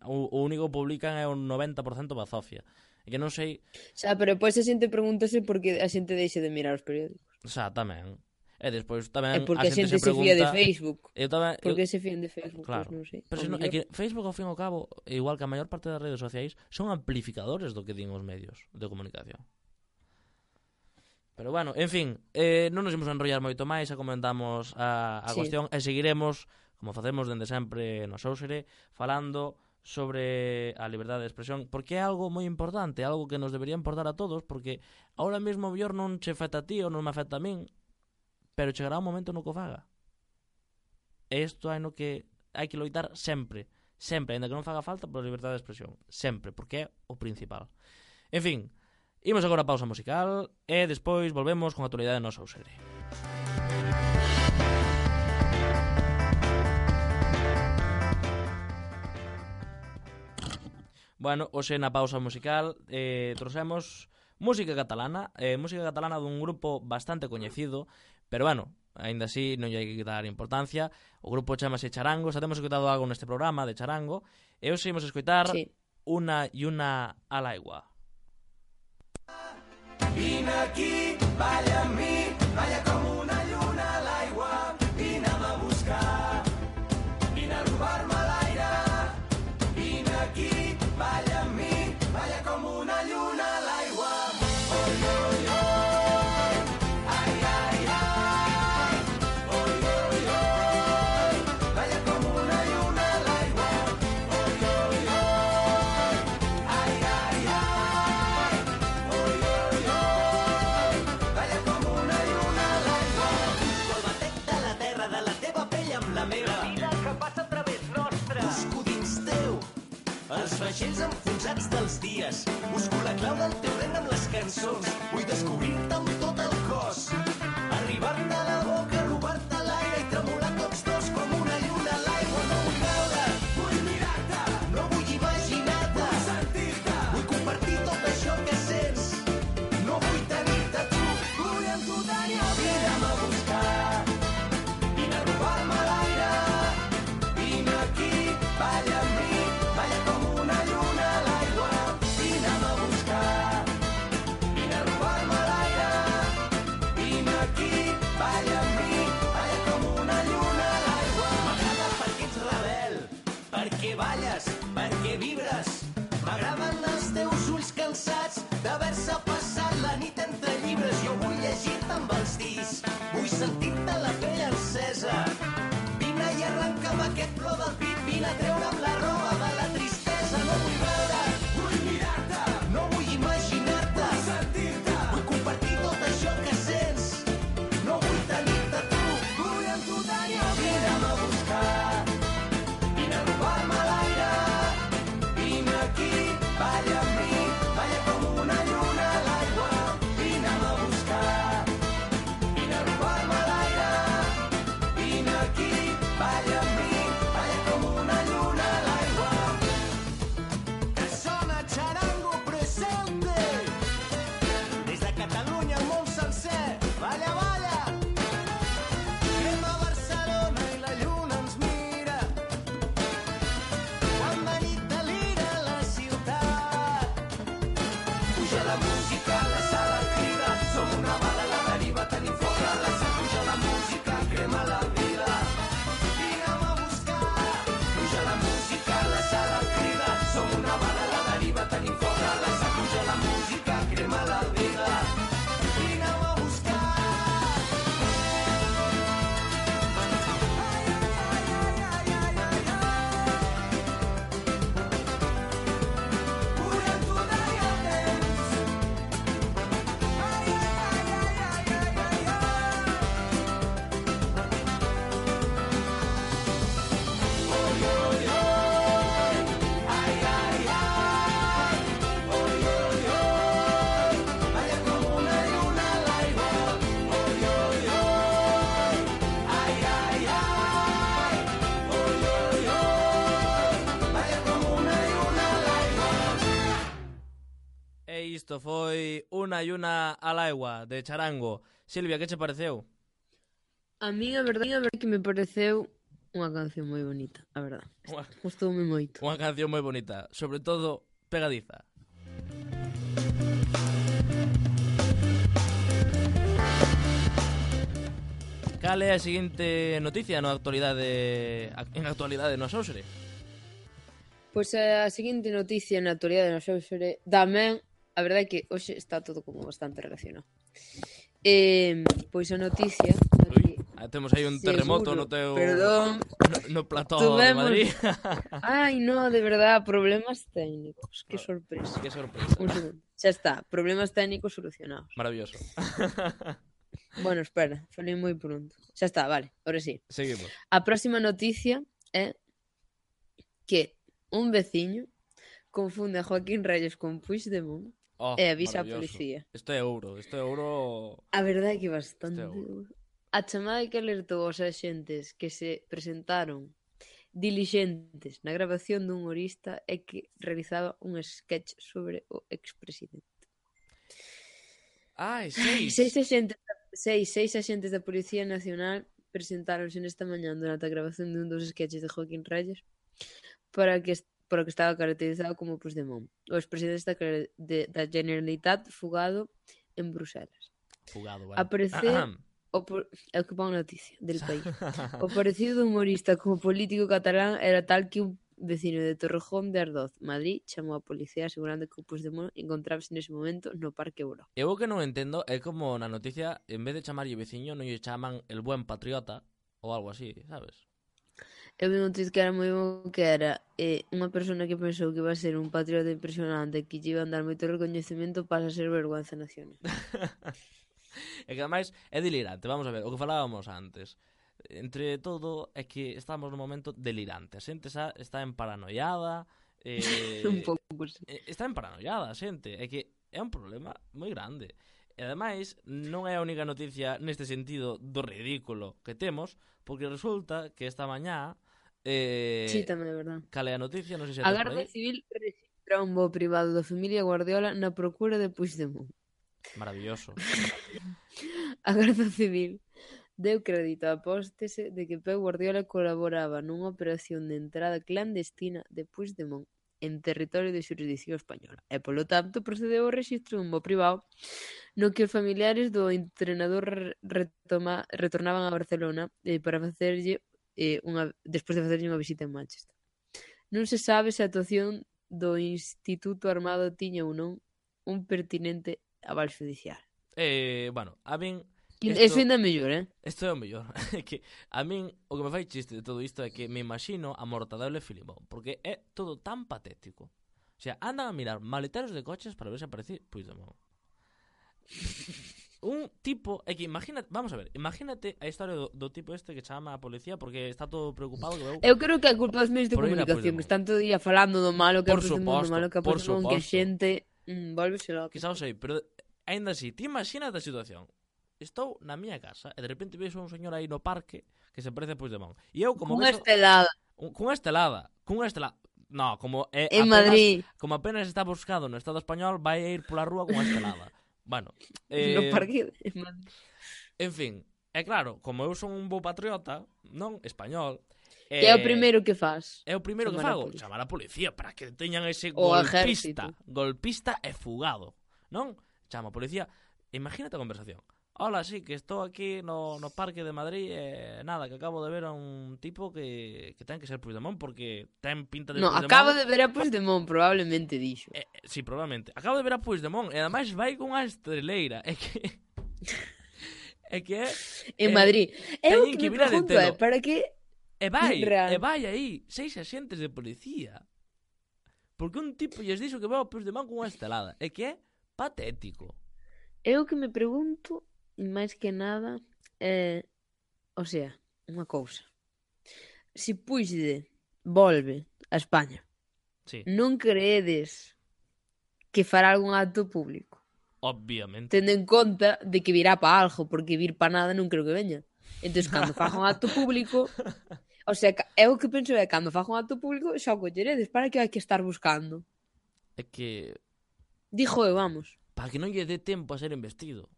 o, o único que publican é o noventa por cento bazofia. E que non sei... Xa, pero depois a xente pregúntase por que a xente deixe de mirar os periódicos. Xa, tamén. E despois tamén é porque a xente, se, se pregunta... fía de Facebook. Eu tamén, porque eu... se fían de Facebook, claro. Pues non sei. Pero se non, é que Facebook, ao fin e ao cabo, igual que a maior parte das redes sociais, son amplificadores do que din os medios de comunicación. Pero bueno, en fin, eh, non nos imos a enrollar moito máis, xa comentamos a, a sí. cuestión, e seguiremos, como facemos dende sempre no Xousere, falando sobre a liberdade de expresión, porque é algo moi importante, algo que nos debería importar a todos, porque ahora mesmo o mellor non che afecta a ti ou non me afecta a min, pero chegará un momento no que o faga. E isto hai no que hai que loitar sempre, sempre, ainda que non faga falta, pola liberdade de expresión, sempre, porque é o principal. En fin, imos agora a pausa musical e despois volvemos con a actualidade do noso Xousere. Bueno, hoxe na pausa musical eh, trouxemos música catalana, eh, música catalana dun grupo bastante coñecido, pero bueno, aínda así non lle hai que dar importancia. O grupo chamase Charango, xa temos escoitado algo neste programa de Charango, e hoxe imos escoitar sí. Una y una al aigua. Vine aquí, balla a mi, balla como una lluna a l'aigua, vine a buscar, vine a robar-me l'aire, vine aquí, balla a mi, balla como una lluna a l'aigua. Oi, oi, oi, ai, ai, ai, oi, oi, oi, balla como una lluna a l'aigua. Oi, oi, oi, ai, ai, ai, oi, oi, oi, balla como una lluna a l'aigua. Els vaixells enfonsats dels dies. Busco la clau del teu regne amb les cançons. Vull descobrir-te amb tot el cos. Arribar-te a la boca, robar-te l'aire i tremolar tots dos com una lluna a l'aigua. No vull veure, vull mirar-te. No vull imaginar-te, vull sentir-te. Vull compartir tot això que sents. No vull tenir-te tu, vull amb tu tenir el temps. Vine'm a buscar, vine a robar-me l'aire. Vine aquí, balla amb mi, balla com una lluna a l'aigua. Vine'm a buscar, vine a robar-me l'aire. Vine aquí, balla amb mi, balla com una lluna a l'aigua. M'agrada perquè ets rebel, perquè balles, perquè vibres. M'agraden els teus ulls cansats d'haver-se passat la nit entre llibres. Jo vull llegir-te amb els dits, vull sentir-te la pell encesa. Vine i arrenca'm aquest plor del pit, vine a treure'm la roba de la tristesa. No vull veure, vull mirar-te. No vull imaginar-te, vull sentir-te. Vull compartir tot això que sents. No vull tenir-te tu, vull amb tu tenir el temps. Vine'm a buscar, vine a robar-me l'aire. Vine aquí, balla amb mi, balla com una lluna a l'aigua. Vine'm a buscar, vine a robar-me l'aire. Vine aquí, balla amb mi, balla com una lluna a l'aigua. Que sona Charango presente. Des de Catalunya al món sencer. Balla, balla. Anem a Barcelona i la lluna ens mira. Quan de nit delira la ciutat. Puja la música, la sala crida. Som una bala a la deriva, tenim foc a la sang. Puja la música, crema la vida. Vine'm a buscar. Puja la música, la sala crida. Som una bala a la deriva, tenim foc a la sang. Puja la música, crema la vida. Vine'm a buscar. Vull amb tu tenir el temps. Ai, ai, ai, ai, ai, ai, ai, ai. Oi, oi, oi. Ai, ai, ai. Oi, oi, oi. Balla com una lluna a l'aigua. Oi, oi, oi. Ai, ai, ai. Oi, oi, oi. Balla com una lluna a l'aigua. E isto foi Una lluna al agua, de Charango. Silvia, que che pareceu? A mí a verdade, a verdade que me pareceu unha canción moi bonita, a verdade. Unha- Gustoume moito. Unha canción moi bonita, sobre todo pegadiza. Cal é a seguinte noticia na actualidade en actualidade no Xósere? Pois a seguinte noticia na actualidade no Xósere tamén, a verdade é que hoxe está todo como bastante relacionado. Eh, pois a noticia Ui, aquí, ah, temos aí un terremoto seguro, no teu perdón, no, no plató de tuvemos- Madrid. ai no, de verdade, problemas técnicos, que sorpresa. Que sorpresa. Un segundo, xa está, problemas técnicos solucionados. Maravilloso. Bueno, espera, falei moi pronto. Xa está, vale, ahora sí. Seguimos. A próxima noticia é que un veciño confunde a Joaquín Reyes con Puigdemont Oh, e avisa a maravilloso. policía. Isto é ouro, isto é ouro. A verdade é que bastante Este é ouro. ouro. A chamada que alertou aos axentes que se presentaron dilixentes na grabación dun humorista é que realizaba un sketch sobre o expresidente. Ai, seis. Seis axentes, seis, seis axentes da Policía Nacional presentáronse nesta mañá durante a grabación dun dos sketches de Joaquín Reyes para que para que estaba caracterizado como Puigdemont, o expresidente da, de, da Generalitat fugado en Bruselas. Fugado, vale. Aparecer o por, é o que pon noticia del país. O parecido do humorista como político catalán era tal que un vecino de Torrejón de Ardoz, Madrid, chamou a policía asegurando que o Puigdemont encontrábase nese momento no Parque Euro. Eu o que non entendo é como na noticia, en vez de chamarlle veciño, non lle chaman el buen patriota ou algo así, sabes? Eu vi un tweet que era moi bo, que era eh, unha persona que pensou que iba a ser un patriota impresionante, que lle iba a dar moito recoñecemento, pasa a ser vergüenza nacional. É que ademais é delirante, vamos a ver, o que falábamos antes. Entre todo é que estamos no momento delirante. A xente xa está en paranoiada, Eh, Un pouco, sí. eh, está en paranoiada a xente. É que é un problema moi grande. E ademais, non é a única noticia neste sentido do ridículo que temos, porque resulta que esta mañá eh, Sí, tamén é verdad. cale a noticia, non sei se A tes por Garda aí. Civil rexistra un voo privado da familia Guardiola na procura de Puigdemont. Maravilloso. A Garda Civil deu crédito á apóstese de que Pep Guardiola colaboraba nunha operación de entrada clandestina de Puigdemont en territorio de xurisdicción española e, polo tanto, procedeu ao rexistro dun voo privado no que os familiares do entrenador retoma, retornaban a Barcelona eh, para facerlle eh, unha, despois de facerlle unha visita en Manchester. Non se sabe se a actuación do Instituto Armado tiña ou non un pertinente aval judicial. Eh, bueno, a min Isto... Esto- Eso ainda é mellor, eh? Isto é o mellor. É que a min o que me fai chiste de todo isto é que me imagino a Mortadelo e Filimón, porque é todo tan patético. O sea, andan a mirar maleteros de coches para ver se aparece Puigdemont. Un tipo, é que imagínate, vamos a ver, imagínate a historia do, do tipo este que chama a policía porque está todo preocupado que veu. Eu creo que a culpa dos medios de Por ir a comunicación Puigdemont. que están todo o día falando do malo que é Por Puigdemont, do suposto, malo que é por Puigdemont, que a suposto. xente mm, volvese loca. Que xa o sei, pero aínda así, ti imagínate a situación. Estou na miña casa e de repente vexo un señor aí no parque que se parece a Puigdemont. E eu como Unha vexo estelada un, cunha estelada, cunha estelada. No, como é en apenas, Madrid. como apenas está buscado no Estado español, vai a ir pola rúa cunha estelada. Bueno, No eh, parque de Madrid. en fin, é claro, como eu son un bo patriota, non español, eh, Que é o primeiro que faz. É o primeiro que Chamar a fago, policía. chamar a policía para que teñan ese O golpista, exército. golpista e fugado, non? Chama a policía. Imagínate a conversación. Hola, sí, que estou aquí no, no parque de Madrid e eh, nada, que acabo de ver a un tipo que, que ten que ser Puigdemont porque ten pinta de No, Puigdemont. acabo de ver a Puigdemont, probablemente dixo. Eh, eh, sí, probablemente. Acabo de ver a Puigdemont e ademais vai con unha estreleira. É que é que é En eh, Madrid. Eu teñen que que me vir a pregunto é, detelo. para que E vai, Real. e vai aí, seis axentes de policía. Porque un tipo lles dixo que veu a Puigdemont con unha estelada. É que é patético. Eu que me pregunto, máis que nada, é, o sea, unha cousa. Se Puigde volve a España, Sí, non creedes que fará algún acto público? obviamente. Tendo en conta de que virá pa algo, porque vir pa nada non creo que veña. Entón, cando faga un acto público, o sea, ca- eu o que penso é, cando faga un acto público, xa o colleredes, para que hai que estar buscando? É que Dixo eu, vamos. para que non lle dé tempo a ser investido.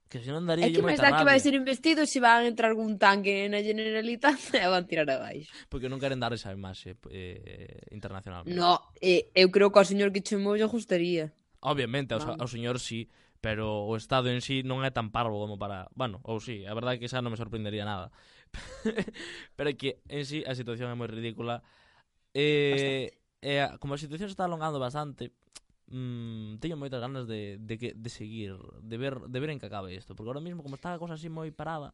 Que senón daría É que máis moita dá que vai rabia. ser investido se van a entrar algún tanque na Generalitat e van tirar abaixo. Porque non queren dar esa imaxe eh, internacionalmente. No, eh, eu creo que ao señor que chamou lle gustaría. Obviamente, ao, Vamos. ao señor sí, pero o Estado en sí non é tan parvo como para... Bueno, ou sí, a verdade é que xa non me sorprendería nada. Pero é que en sí a situación é moi ridícula. Eh, e a- como a situación se está alongando bastante, mm, teño moitas ganas de, de, que, de seguir, de ver, de ver en que acabe isto. Porque ahora mismo, como está a cosa así moi parada,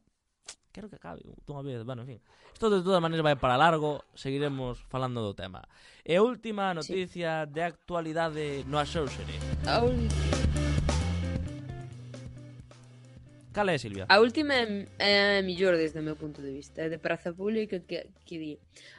quero que acabe dunha vez. Bueno, en fin. Isto de todas maneiras vai para largo, seguiremos falando do tema. E a última noticia de actualidade no Axóuxere. A, ul- Cal é, Silvia? a última é, é a mellor desde o meu punto de vista. É de Praza Pública que, que di: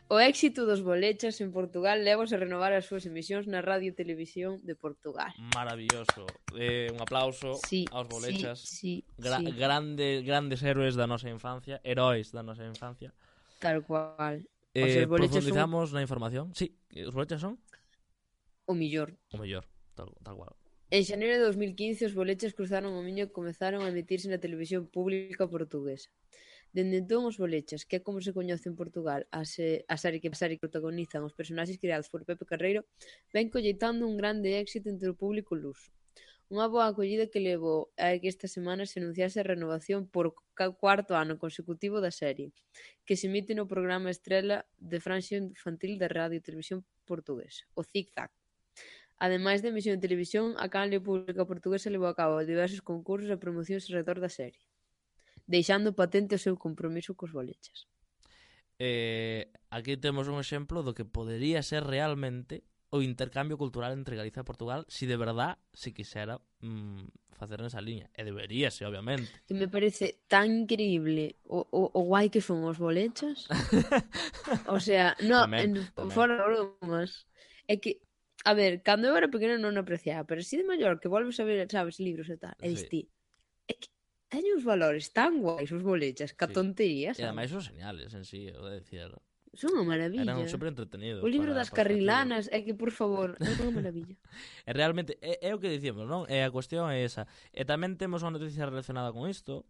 o éxito dos bolechas en Portugal levos a renovar as súas emisións na radio e televisión de Portugal. Maravilloso. Eh, un aplauso Sí, aos bolechas. sí, sí, Gra sí, grandes, grandes héroes da nosa infancia, heróis da nosa infancia. tal cual. Eh, os bolechas son profundizamos na información. Sí, os bolechas son o millor. o mellor, tal, tal cual. En xaneiro de dos mil quince, os bolechas cruzaron o miño e comezaron a emitirse na televisión pública portuguesa. Dende entón, os bolechas, que é como se coñece en Portugal, a, se, a serie que a serie que protagonizan os personaxes creados por Pepe Carreiro, ven colleitando un grande éxito entre o público luso. Unha boa acollida que levou a que esta semana se anunciase a renovación por ca- cuarto ano consecutivo da serie, que se emite no programa estrela de franxa infantil da Radio e Televisión Portuguesa, o Zig Zag. Ademais de emisión en televisión, a canle pública portuguesa levou a cabo diversos concursos e promocións alrededor da serie, deixando patente o seu compromiso cos bolechas. Eh, aquí temos un exemplo do que podería ser realmente o intercambio cultural entre Galicia e Portugal si de verdad se quixera mm, facer nesa liña. E deberíase, obviamente. Que me parece tan increíble o, o, o guai que son os bolechas. O sea, no, Tamén, en, tamén. fora bromas. É que, a ver, cando eu era pequena non apreciaba, pero así de maior que volves a ver, sabes, libros e tal, e Sí. diste, é que teñen uns valores tan guais os bolechas, que a Sí. tontería, E ademais sabes? son señales en sí, o de decir, Son unha maravilla. eran super entretenidos. O libro para- das para os cativos. carrilanas, é que, por favor, é unha maravilla. E realmente, é, é o que dicimos, non? E a cuestión é esa. E tamén temos unha noticia relacionada con isto,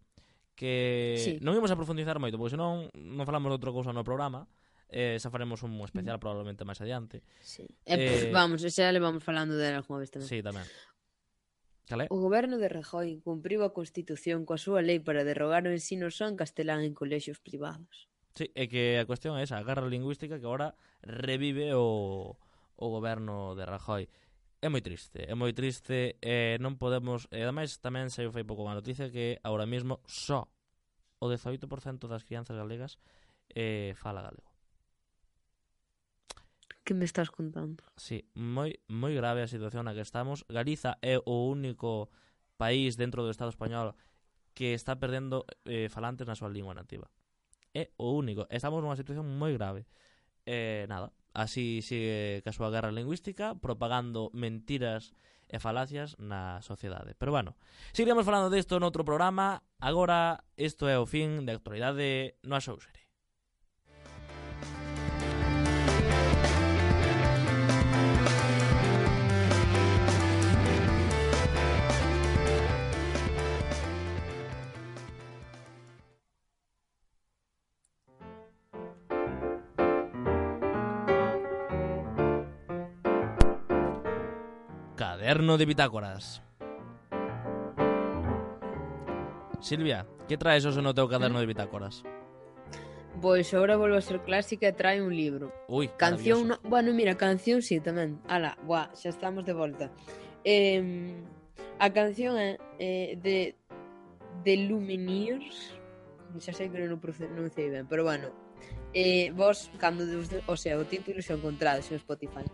que Sí. non imos a profundizar moito, porque senón non falamos de outra cousa no programa, eh, xa faremos un especial probablemente máis adiante. Sí. E, pff, Eh, vamos, xa le vamos falando dela algunha vez tamén. Sí, tamén. Calé? O goberno de Rajoy cumpriu a Constitución coa súa lei para derrogar o ensino só en castelán en colexios privados. Sí, é que a cuestión é esa, a guerra lingüística que agora revive o, o goberno de Rajoy. É moi triste, é moi triste, e non podemos, e ademais tamén saiu fai pouco unha noticia que agora mesmo só o dezoito por cento das crianzas galegas eh, fala galego. Que me estás contando? Sí, moi moi grave a situación na que estamos. Galiza é o único país dentro do Estado español que está perdendo eh, falantes na súa lingua nativa. É o único. Estamos nunha situación moi grave. Eh, nada, así sigue ca súa guerra lingüística, propagando mentiras e falacias na sociedade. Pero bueno, seguiremos falando disto noutro programa. Agora, isto é o fin de actualidade no Axousere. Caderno de bitácoras. Silvia, que traes hoxe no teu caderno de bitácoras? Pois agora volvo a ser clásica e trae un libro. Ui, Canción, maravilloso. no... bueno, mira, canción sí tamén. Ala, buah, xa estamos de volta. Eh, a canción é eh, de The Lumineers. Xa sei que non o pronunciei ben, pero bueno. Eh, vos, cando, o sea, o título xa o encontrades en Spotify.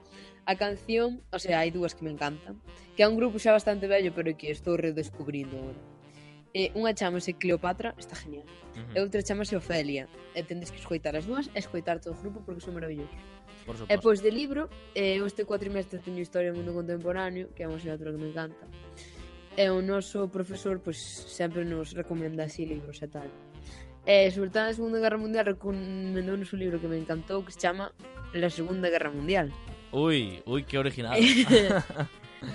A canción, o sea, hai dúas que me encantan, que é un grupo xa bastante vello, pero que estou redescubrindo agora. Eh, unha chamase Cleopatra, está genial. Uh-huh. E outra chamase Ofelia. E tendes que escoitar as dúas e escoitar todo o grupo porque son maravillosos. Por E suposto. pois de libro, eh, eu este cuatrimestre teño Historia do Mundo Contemporáneo, que é unha asignatura que me encanta. E o noso profesor, pois, sempre nos recomenda así libros e tal. E, sobre todo na Segunda Guerra Mundial, recomendounos un libro que me encantou, que se chama La Segunda Guerra Mundial. Ui, ui, que original.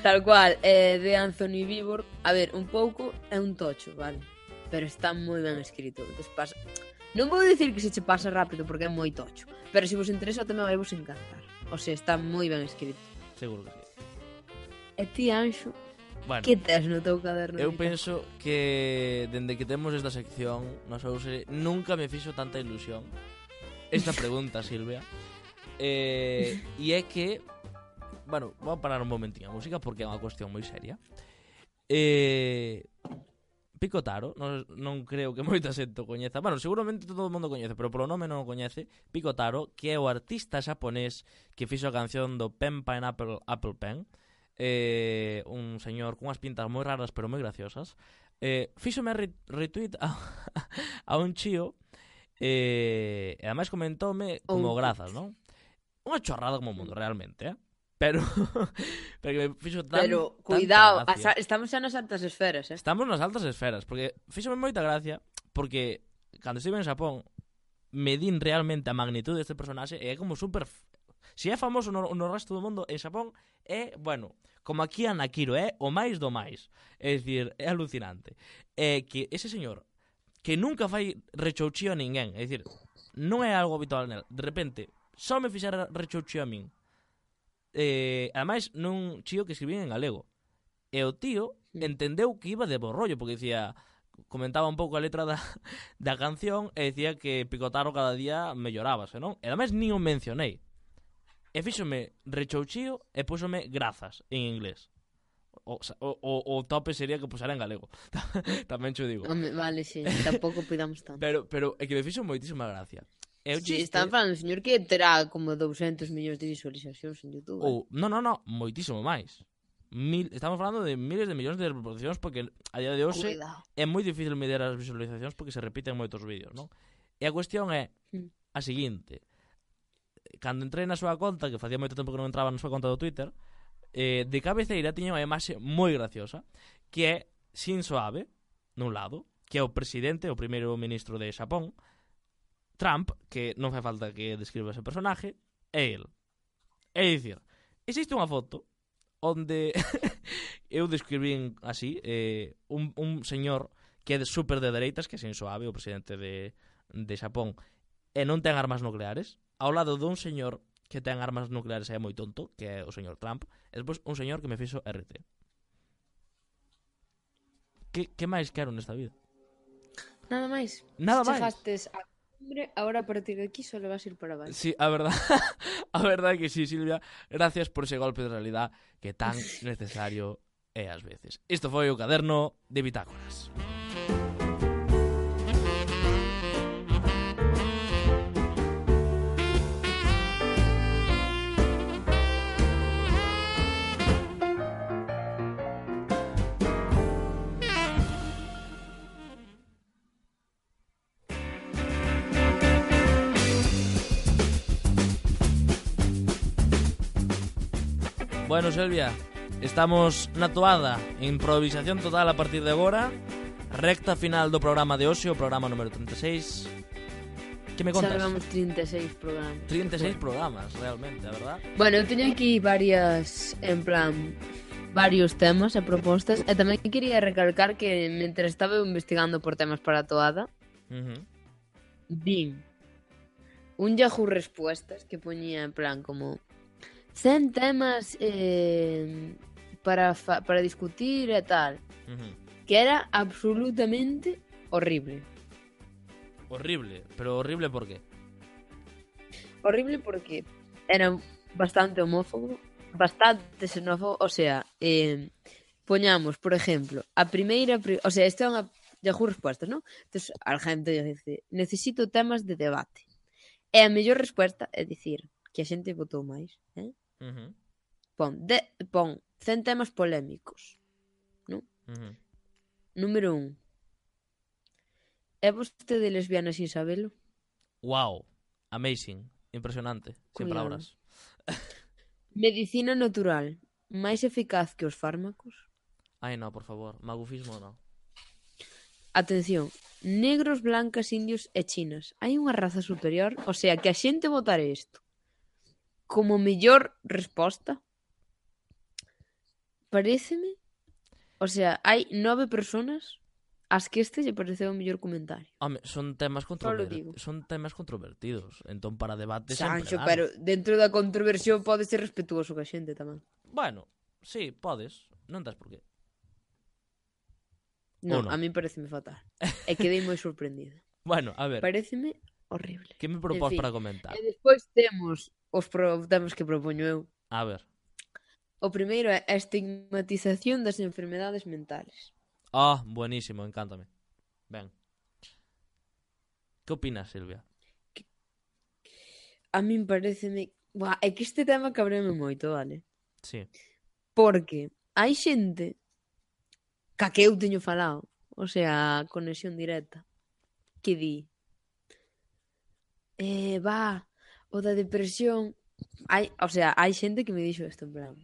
Tal cual, é de Anthony Vivor. A ver, un pouco é un tocho, vale? Pero está moi ben escrito. Entón, pasa... Non vou dicir que se che pasa rápido porque é moi tocho, pero se vos interesa tamén vai vos encantar. O sea, está moi ben escrito. Seguro que sí. E ti, Anxo, Bueno, que tes no teu caderno? eu de penso que dende que temos esta sección no Axousere nunca me fixo tanta ilusión esta pregunta, Silvia. Eh, e é que, bueno, vou parar un momentinho a música porque é unha cuestión moi seria. Eh, Picotaro, non, non creo que moita xente o coñeza. Bueno, seguramente todo o mundo coñece, pero polo nome non o coñece. Picotaro, que é o artista xaponés que fixo a canción do Pen Pineapple Apple Pen. Eh, un señor cunhas pintas moi raras pero moi graciosas. Eh, fíxome re retweet a, a un chío eh, e ademais comentoume como Oh. grazas, non? Unha chorrada como o mundo, realmente, eh? Pero, pero que me fixo tan, Pero, tanta cuidado, gracia. asa- estamos xa nas altas esferas, eh? Estamos nas altas esferas, porque fíxome moita gracia, porque cando estive en Xapón me din realmente a magnitud deste personaxe e é como super... Se é famoso no, no resto do mundo, en Xapón é, bueno, como aquí a Nakiro, é o máis do máis. É dicir, é alucinante. É que ese señor, que nunca fai rechouchío a ninguén, é dicir, non é algo habitual nel, de repente, só me fixera rechouchío a min. Eh, ademais, nun chío que escribía en galego. E o tío Mm. entendeu que iba de bo rollo, porque dicía, comentaba un pouco a letra da, da canción e dicía que Picotaro cada día mellorábase, non? E ademais nin o mencionei. E fíxome rechouchío e púxome grazas en inglés. O, o, o, o tope sería que pusera en galego. Tamén cho digo. Home, vale, sí, tampouco pidamos tanto. Pero, pero é que me fixo moitísima gracia. E o Sí, chiste... están falando, señor, que terá como doscientos millóns de visualizacións en YouTube. Ou, non, non, non, moitísimo máis. Mil, estamos falando de miles de millóns de reproduccións porque a día de hoxe Cuidado. é moi difícil medir as visualizacións porque se repiten moitos vídeos, non? E a cuestión é Mm. a seguinte. cando entrei na súa conta, que facía moito tempo que non entraba na súa conta do Twitter, eh, de cabeceira tiña unha imaxe moi graciosa, que é Shinzo Abe, nun lado, que é o presidente, o primeiro ministro de Xapón, Trump, que non fai falta que describa ese personaje, é el. É dicir, existe unha foto onde eu describín así, eh, un, un señor que é super de dereitas, que é Shinzo Abe, o presidente de, de Xapón, e non ten armas nucleares, ao lado dun señor que ten armas nucleares e é moi tonto, que é o señor Trump, e despois un señor que me fixo R T. Que, que máis quero nesta vida? Nada máis. Nada máis. Chegastes a cumbre, agora a partir de aquí só vas ir para baixo. Sí, a verdad, a verdad que sí, Silvia. Gracias por ese golpe de realidad que tan necesario é ás veces. Isto foi o caderno de Bitácoras. Bueno, Silvia, estamos na toada, improvisación total a partir de agora, recta final do programa de hoxe, o programa número trinta e seis. Que me contas? Xa levamos trinta e seis programas. trinta e seis programas, realmente, a verdad? Bueno, eu teño aquí varias, en plan, varios temas e propostas, e tamén quería recalcar que mentre estaba investigando por temas para a toada, Uh-huh. vin un Yahoo Respuestas que poñía en plan como cen temas eh, para, fa- para discutir e tal, Uh-huh. que era absolutamente horrible. Horrible, pero horrible por qué? Horrible porque era bastante homófobo, bastante xenófobo, o sea, eh, poñamos, por exemplo, a primeira, pri- o sea, isto é unha Yahoo Respuestas, non? Entón, a xente dice, necesito temas de debate. E a mellor resposta é dicir que a xente votou máis, eh? Uh-huh. Pon, de, pon cen temas polémicos. Uh-huh. Número un. É vostede lesbiana sin sabelo? Wow, amazing, impresionante, sin Cuidado. palabras. Medicina natural, máis eficaz que os fármacos? Ai, no, por favor, magufismo no. Atención, negros, blancas, indios e chinas. Hai unha raza superior? O sea, que a xente votare isto como mellor resposta? Paréceme... O sea, hai nove personas ás que este lle pareceu o mellor comentario. Home, son temas Só lo controver... digo. son temas controvertidos, entón para debate Sancho, sempre dan. pero dentro da controversión pode ser respetuoso ca xente tamén. Bueno, sí, podes, non tes por qué. Non, Ou non? a mí pareceme fatal. E quedei moi sorprendida. Bueno, a ver, Pareceme horrible. que me propós En fin, para comentar? E despois temos os pro- temas que propoño eu. A ver. O primeiro é a estigmatización das enfermedades mentales. Ah, buenísimo, encántame. Ben. Que opinas, Silvia? A min pareceme... Buah, é que este tema cabreme moito, vale? Sí. Porque hai xente ca que eu teño falado, o sea, a conexión directa, que di eh, va, o da depresión hai, o sea, hai xente que me dixo isto en plan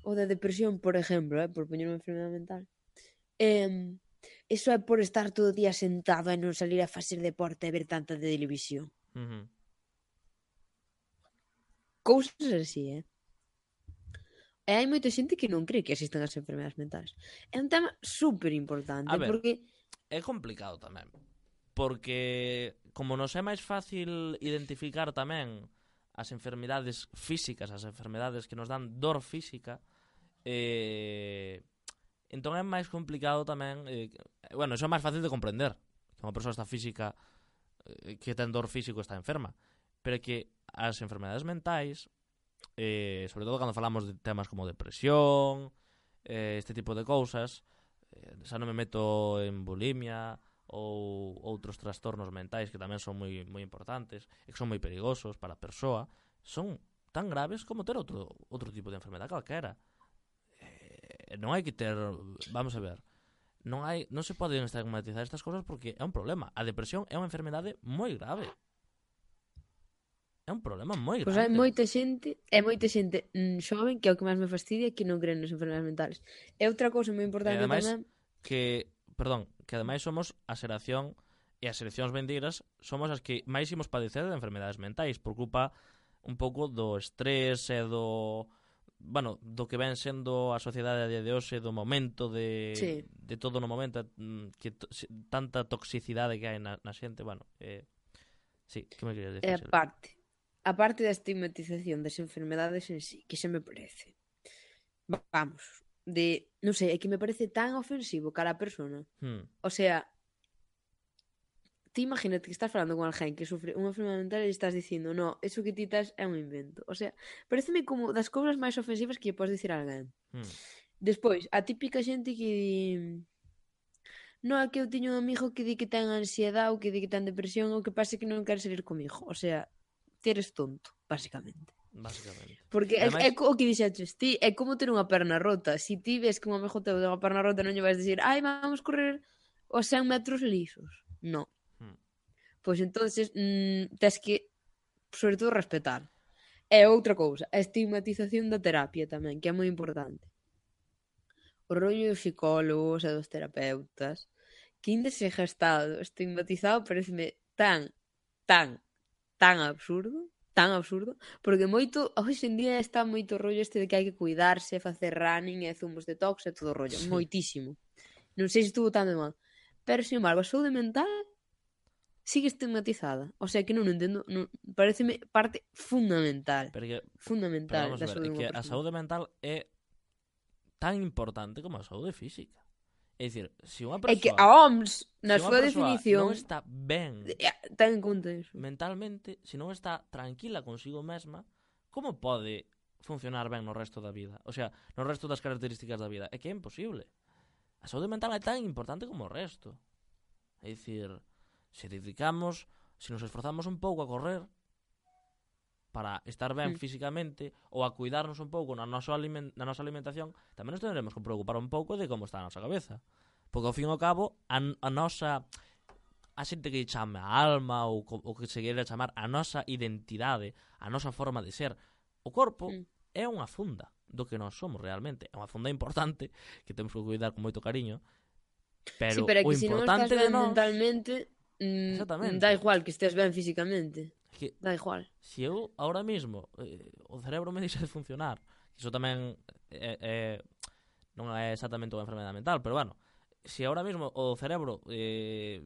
o da depresión, por exemplo, eh, por poñer unha enfermedade mental, eh, eso é por estar todo o día sentado e non salir a facer deporte e ver tanta de televisión. Uh-huh. Cousas así, eh? E hai moita xente que non cree que existen as enfermedades mentales. É un tema super importante, A ver. porque É complicado tamén, porque como nos é máis fácil identificar tamén as enfermidades físicas, as enfermedades que nos dan dor física, eh, entón é máis complicado tamén, eh, bueno, iso é máis fácil de comprender, que unha persoa está física, eh, que ten dor físico está enferma, pero que as enfermedades mentais, eh, sobre todo cando falamos de temas como depresión, eh, este tipo de cousas, eh, xa non me meto en bulimia ou outros trastornos mentais que tamén son moi moi importantes e que son moi perigosos para a persoa, son tan graves como ter outro outro tipo de enfermedade calquera. Eh, non hai que ter, vamos a ver, non hai, non se poden estigmatizar estas cousas porque é un problema. A depresión é unha enfermedade moi grave. é un problema moi Pois hai grande. moita xente, e moita xente mm, xoven, que é o que máis me fastidia, que non creen nas enfermedades mentales. E outra cousa moi E importante ademais tamén, que, perdón, que ademais somos a xeración e as seleccións vindeiras somos as que máis imos padecer de enfermedades mentais por culpa un pouco do estrés e do, bueno, do que ven sendo a sociedade a día de hoxe, do momento de, Sí. de todo no momento, mm, que to, se- tanta toxicidade que hai na, na xente, bueno, eh, sí, que me querías é dicir? a parte. A parte da estigmatización das enfermedades en sí, que se me parece. Vamos, de, non sei, é que me parece tan ofensivo cara a persona. Hmm. O sea, ti imagínate que estás falando con alguén que sufre unha enfermedade mental e estás dicindo, no, eso que ti estás é un invento. O sea, pareceme como das cousas máis ofensivas que lle podes dicir a alguén. Hmm. Despois, a típica xente que di, no, é que eu tiño un amigo que di que ten ansiedade ou que di que ten depresión ou que pasa que non quere salir comigo. O sea, ti eres tonto, basicamente. Básicamente. Porque é, Ademais- é co- o que dixeches ti, é como ter unha perna rota. Si ti ves que un amigo teu ten unha perna rota, non lle vais dicir, ai, vamos correr os cen metros lisos. Non. Hmm. Pois entonces mm, tes que, sobre todo, respetar. E outra cousa, a estigmatización da terapia tamén, que é moi importante. O rollo dos psicólogos e dos terapeutas, que ainda se gestado estigmatizado, pareceme tan, tan, tan absurdo, tan absurdo, porque moito, hoxe en día está moito rollo este de que hai que cuidarse, facer running e zumos detox e todo o rollo, Sí. moitísimo. Non sei se estuvo tan de mal. Pero, sin embargo, a saúde mental sigue estigmatizada. O sea, que non entendo, non, pareceme parte fundamental, Porque, pero fundamental vamos da a ver, saúde é dunha que a persoa. saúde mental é tan importante como a saúde física. É dicir, se unha É que persoa, a O M S, na se unha súa persoa definición, non está ben eh, ten en conta iso. mentalmente, se non está tranquila consigo mesma, como pode funcionar ben no resto da vida? O sea, no resto das características da vida. É que é imposible. A saúde mental é tan importante como o resto. É dicir, se dedicamos, se nos esforzamos un pouco a correr para estar ben Mm. físicamente ou a cuidarnos un pouco na nosa, aliment na nosa alimentación, tamén nos tendremos que preocupar un pouco de como está a nosa cabeza. Porque ao fin e ao cabo, a, a nosa a xente que chame a alma ou o que se queira chamar a nosa identidade, a nosa forma de ser, o corpo Mm. é unha funda do que nós somos realmente. É unha funda importante que temos que cuidar con moito cariño, pero, Sí, pero é o que se non estás importante de ben nós, mentalmente, mm, Exactamente. dá igual que estés ben físicamente. é que Dá igual. se eu ahora mismo eh, o cerebro me deixa de funcionar, iso tamén é, é, non é exactamente unha enfermedade mental, pero bueno, se ahora mismo o cerebro eh,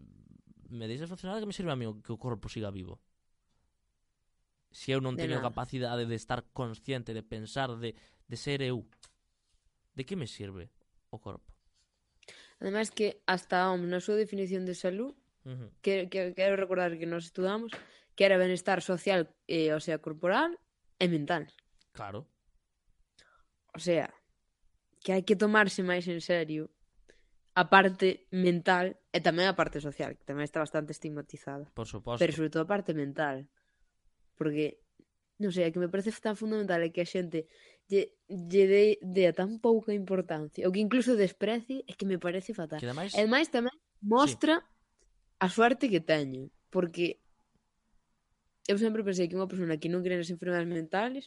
me deixa de funcionar, que me sirve a mí que o corpo siga vivo? Se eu non De teño nada. capacidade de estar consciente, de pensar, de, de ser eu, de que me sirve o corpo? Ademais que hasta a O M S, na súa definición de salud, Uh -huh. que, que, quero recordar que nos estudamos, que era benestar social, eh, o sea, corporal e mental. Claro. O sea, que hai que tomarse máis en serio a parte mental e tamén a parte social, que tamén está bastante estigmatizada. Por suposto. Pero sobre todo a parte mental. Porque, non sei, é que me parece tan fundamental é que a xente lle, lle dé, dé tan pouca importancia, ou que incluso desprecie, é que me parece fatal. Que ademais, E ademais tamén mostra a suerte que teño, porque eu sempre pensei que unha persona que non cree nas enfermedades mentales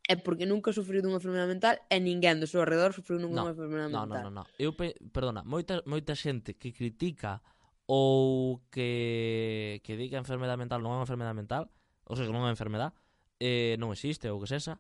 é porque nunca sufriu dunha enfermedade mental e ninguén do seu arredor sufriu nunha No, enfermedade no, no, mental. no, no. Eu pe... perdona, moita moita xente que critica ou que que di que a enfermedade mental non é unha enfermedade mental, ou seja, non é unha enfermedade, eh, non existe ou que sexa,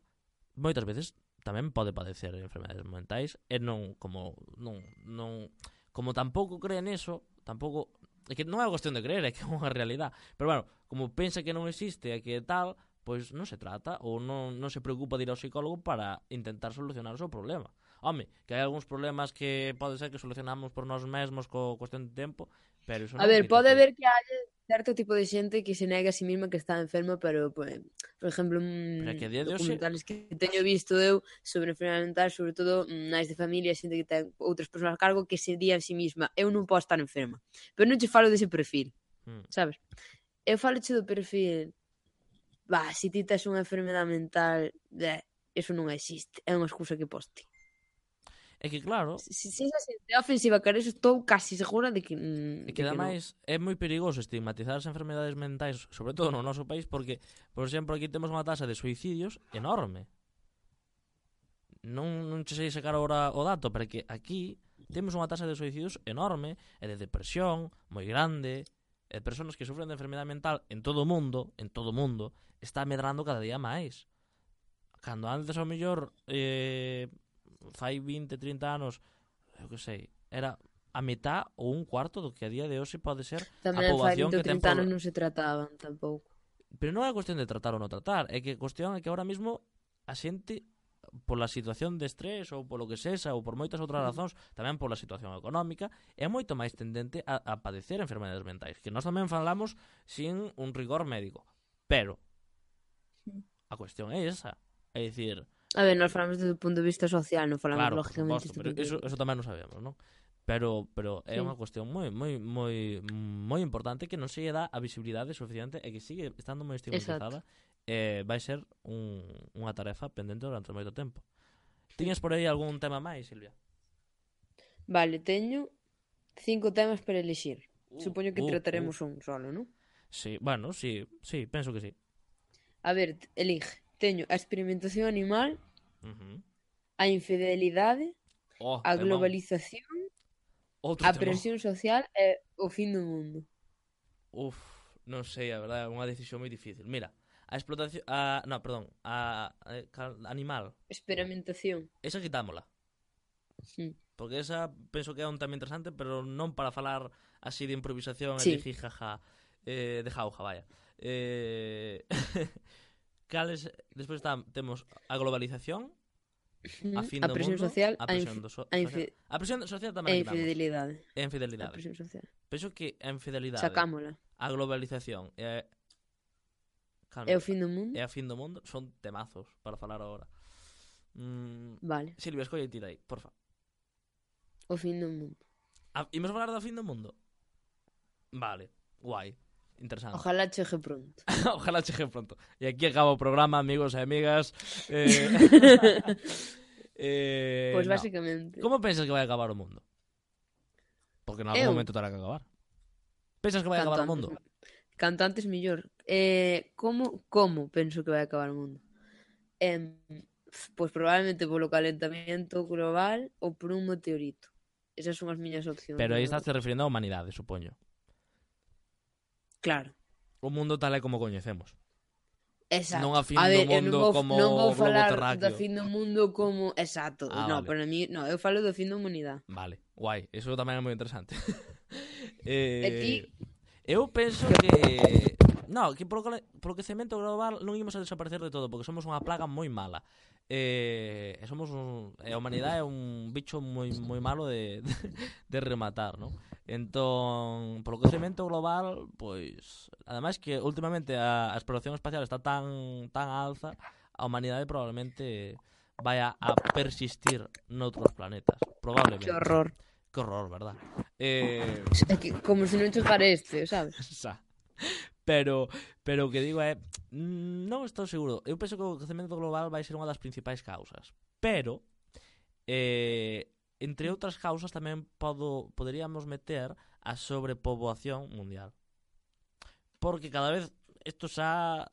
moitas veces tamén pode padecer enfermedades mentais e non como non non como tampouco cree neso, tampouco é que non é cuestión de creer, é que é unha realidade. Pero bueno, como pensa que non existe e que tal, pois non se trata ou non, non se preocupa de ir ao psicólogo para intentar solucionar o seu problema. Home, que hai algúns problemas que pode ser que solucionamos por nós mesmos co cuestión de tempo, pero iso A non ver, quita pode que... haber que haya certo tipo de xente que se nega a si mesma que está enferma, pero, pues, por exemplo, Pero é que a día de hoxe- documentales que teño visto eu sobre enfermedade mental, sobre todo máis de familia, xente que ten outras persoas a cargo que se di a si mesma, eu non podo estar enferma. Pero non che falo dese perfil, Hmm. sabes? Eu falo che do perfil, bah, se ti tes unha enfermedade mental, eh, eso non existe, é unha excusa que poste. É que claro, Se, se esa xente é ofensiva cara eso, estou casi segura de que, mm, é de que que non. ademais é moi perigoso estigmatizar as enfermedades mentais, sobre todo no noso país, porque, por exemplo, aquí temos unha tasa de suicidios enorme. Non, non che sei sacar agora o dato, pero que aquí temos unha tasa de suicidios enorme e de depresión moi grande, e de persoas que sufren de enfermedade mental en todo o mundo, en todo o mundo, está medrando cada día máis. Cando antes ao mellor eh, fai vinte, trinta anos, eu que sei, era a metá ou un cuarto do que a día de hoxe pode ser Tamén a fai poboación vinte ou que ten trinta anos pro... non se trataban tampouco. Pero non é cuestión de tratar ou non tratar, é que a cuestión é que ahora mismo a xente pola situación de estrés ou polo que sexa ou por moitas outras razóns, tamén pola situación económica, é moito máis tendente a, a padecer enfermedades mentais, que nós tamén falamos sin un rigor médico. Pero a cuestión é esa, é dicir, A ver, nós falamos desde o punto de vista social, non falamos claro, por lógicamente suposto, pero desde o eso, punto de eso tamén non sabemos, non? Pero pero é Sí. unha cuestión moi moi moi moi importante que non se lle dá a visibilidade suficiente e que sigue estando moi estigmatizada. Eh, vai ser un, unha tarefa pendente durante moito tempo. Tiñas por aí algún tema máis, Silvia? Vale, teño cinco temas para elixir. Uh, Supoño que uh, trataremos un solo, non? Sí, bueno, sí, sí, penso que sí. A ver, t- elige. Teño a experimentación animal, Uh-huh. a infidelidade, Oh, a temón. globalización, Outro a temón. presión social e o fin do mundo. Uf, non sei, a verdade, é unha decisión moi difícil. Mira, a explotación, a, no, perdón, a, a, a animal, Experimentación. esa quitámola. Sí. Porque esa penso que é un tema interesante, pero non para falar así de improvisación Sí. e de jijaja, eh, de jauja, vaya. Eh, cales, despois está, temos a globalización, a fin a do presión mundo, social, a a, presión, infi- do so, a, social. infi- A presión social e tamén a quitamos. infidelidade. E a A infidelidade. presión social. Penso que a infidelidade, Sacámola. a globalización e a... Calma, E o fin do mundo? e a fin do mundo son temazos para falar agora. Mm, Vale, Silvia, escolle tira aí, porfa. o fin do mundo. A, imos falar do fin do mundo? Vale, guai, interesante. Ojalá chegue pronto. Ojalá chegue pronto. E aquí acaba o programa, amigos e amigas. Eh, eh, Pois no. basicamente. Como pensas que vai acabar o mundo? Porque en algún Eu? momento terá que acabar. Pensas que vai Canto acabar o antes, mundo? canto antes millor. Eh, como, como penso que vai acabar o mundo? Eh, pois probablemente polo calentamiento global ou por un meteorito. Esas son as miñas opcións. Pero aí de estás te referindo á humanidade, supoño. Claro. O mundo tal é como coñecemos. Exacto. Non a fin a do ver, eu mundo non vou, como non vou globo falar terráqueo. do fin do mundo como... Exacto. Ah, no, vale. para mí, no, eu falo do fin da humanidade. Vale, guai, eso tamén é moi interesante. E ti? eh, eu penso que no, que polo, cale- polo quecemento global non imos a desaparecer de todo, porque somos unha plaga moi mala. Eh, e somos un, e a humanidade é un bicho moi moi malo de, de, de rematar, ¿no? Entón, polo quecemento global, pois, ademais que últimamente a, a exploración espacial está tan tan alza, a humanidade probablemente vai a, a persistir noutros planetas, probablemente. Que horror. Que horror, verdad? Eh, É que, como se non chegara este, sabes? xa. Pero, pero o que digo é, mm, non estou seguro. Eu penso que o quecemento global vai ser unha das principais causas. Pero, eh, entre outras causas tamén podo, poderíamos meter a sobrepoboación mundial. Porque cada vez isto xa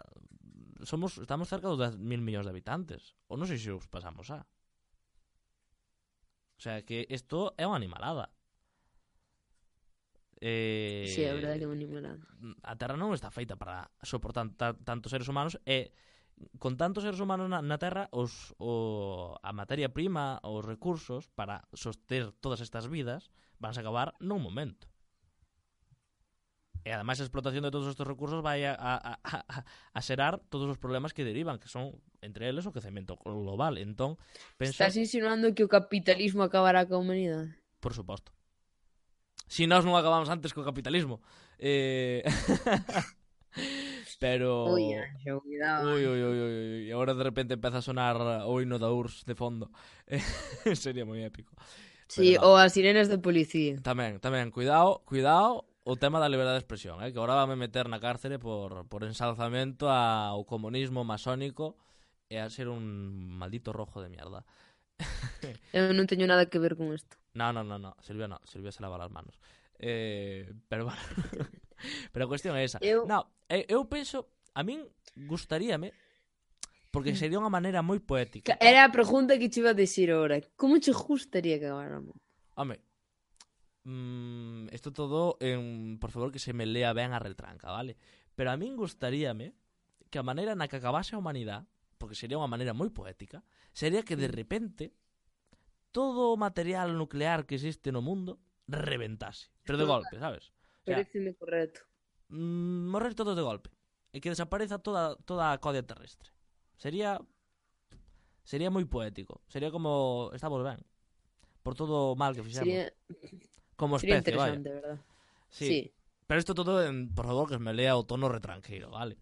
somos estamos cerca dos dez mil millóns de habitantes. Ou non sei se os pasamos xa. O sea, que isto é unha animalada. Eh, Sí, é verdade que é unha animalada. A Terra non está feita para soportar ta, tantos seres humanos e con tantos seres humanos na, na Terra os, o, a materia prima, os recursos para soster todas estas vidas van a acabar nun momento. E ademais a explotación de todos estes recursos vai a, a, a, a xerar todos os problemas que derivan, que son entre eles o quecemento global. Entón, penso, Estás insinuando que o capitalismo acabará coa humanidade? por suposto. Si nós non acabamos antes co capitalismo. Eh... Pero... Ui, Anxo, cuidado. Ui, ui, ui, ui, ui. E agora de repente empeza a sonar o hino da U R S S de fondo. Sería moi épico. Sí, Pero no. ou as sirenas de policía. Tamén, tamén, cuidado, cuidado o tema da liberdade de expresión, eh? Que agora vame meter na cárcere por, por ensalzamento ao comunismo masónico e a ser un maldito rojo de mierda. Eu non teño nada que ver con isto. No, no, no, no, Silvia no, Silvia se lava las manos. Eh, pero bueno, pero a cuestión é esa. Eu- No, eu, eu penso, a min gustaríame, porque sería unha maneira moi poética. Era a pregunta que te iba a dicir ahora. Como che gustaría que acabáramos? Home, mm, isto todo en, por favor, que se me lea ben a retranca, vale? Pero a min gustaríame que a maneira na que acabase a humanidade, porque sería unha maneira moi poética, sería que de repente todo o material nuclear que existe no mundo reventase, pero de golpe, sabes? O sea, Pareceme correcto. mm, morrer todos de golpe e que desapareza toda toda a codia terrestre. Sería sería moi poético. Sería como estamos ben. Por todo o mal que fixemos. Sería, Como sería especie, vaya. interesante, verdad? Sí. Sí. Pero isto todo, en, por favor, que me lea o tono retranqueiro, vale?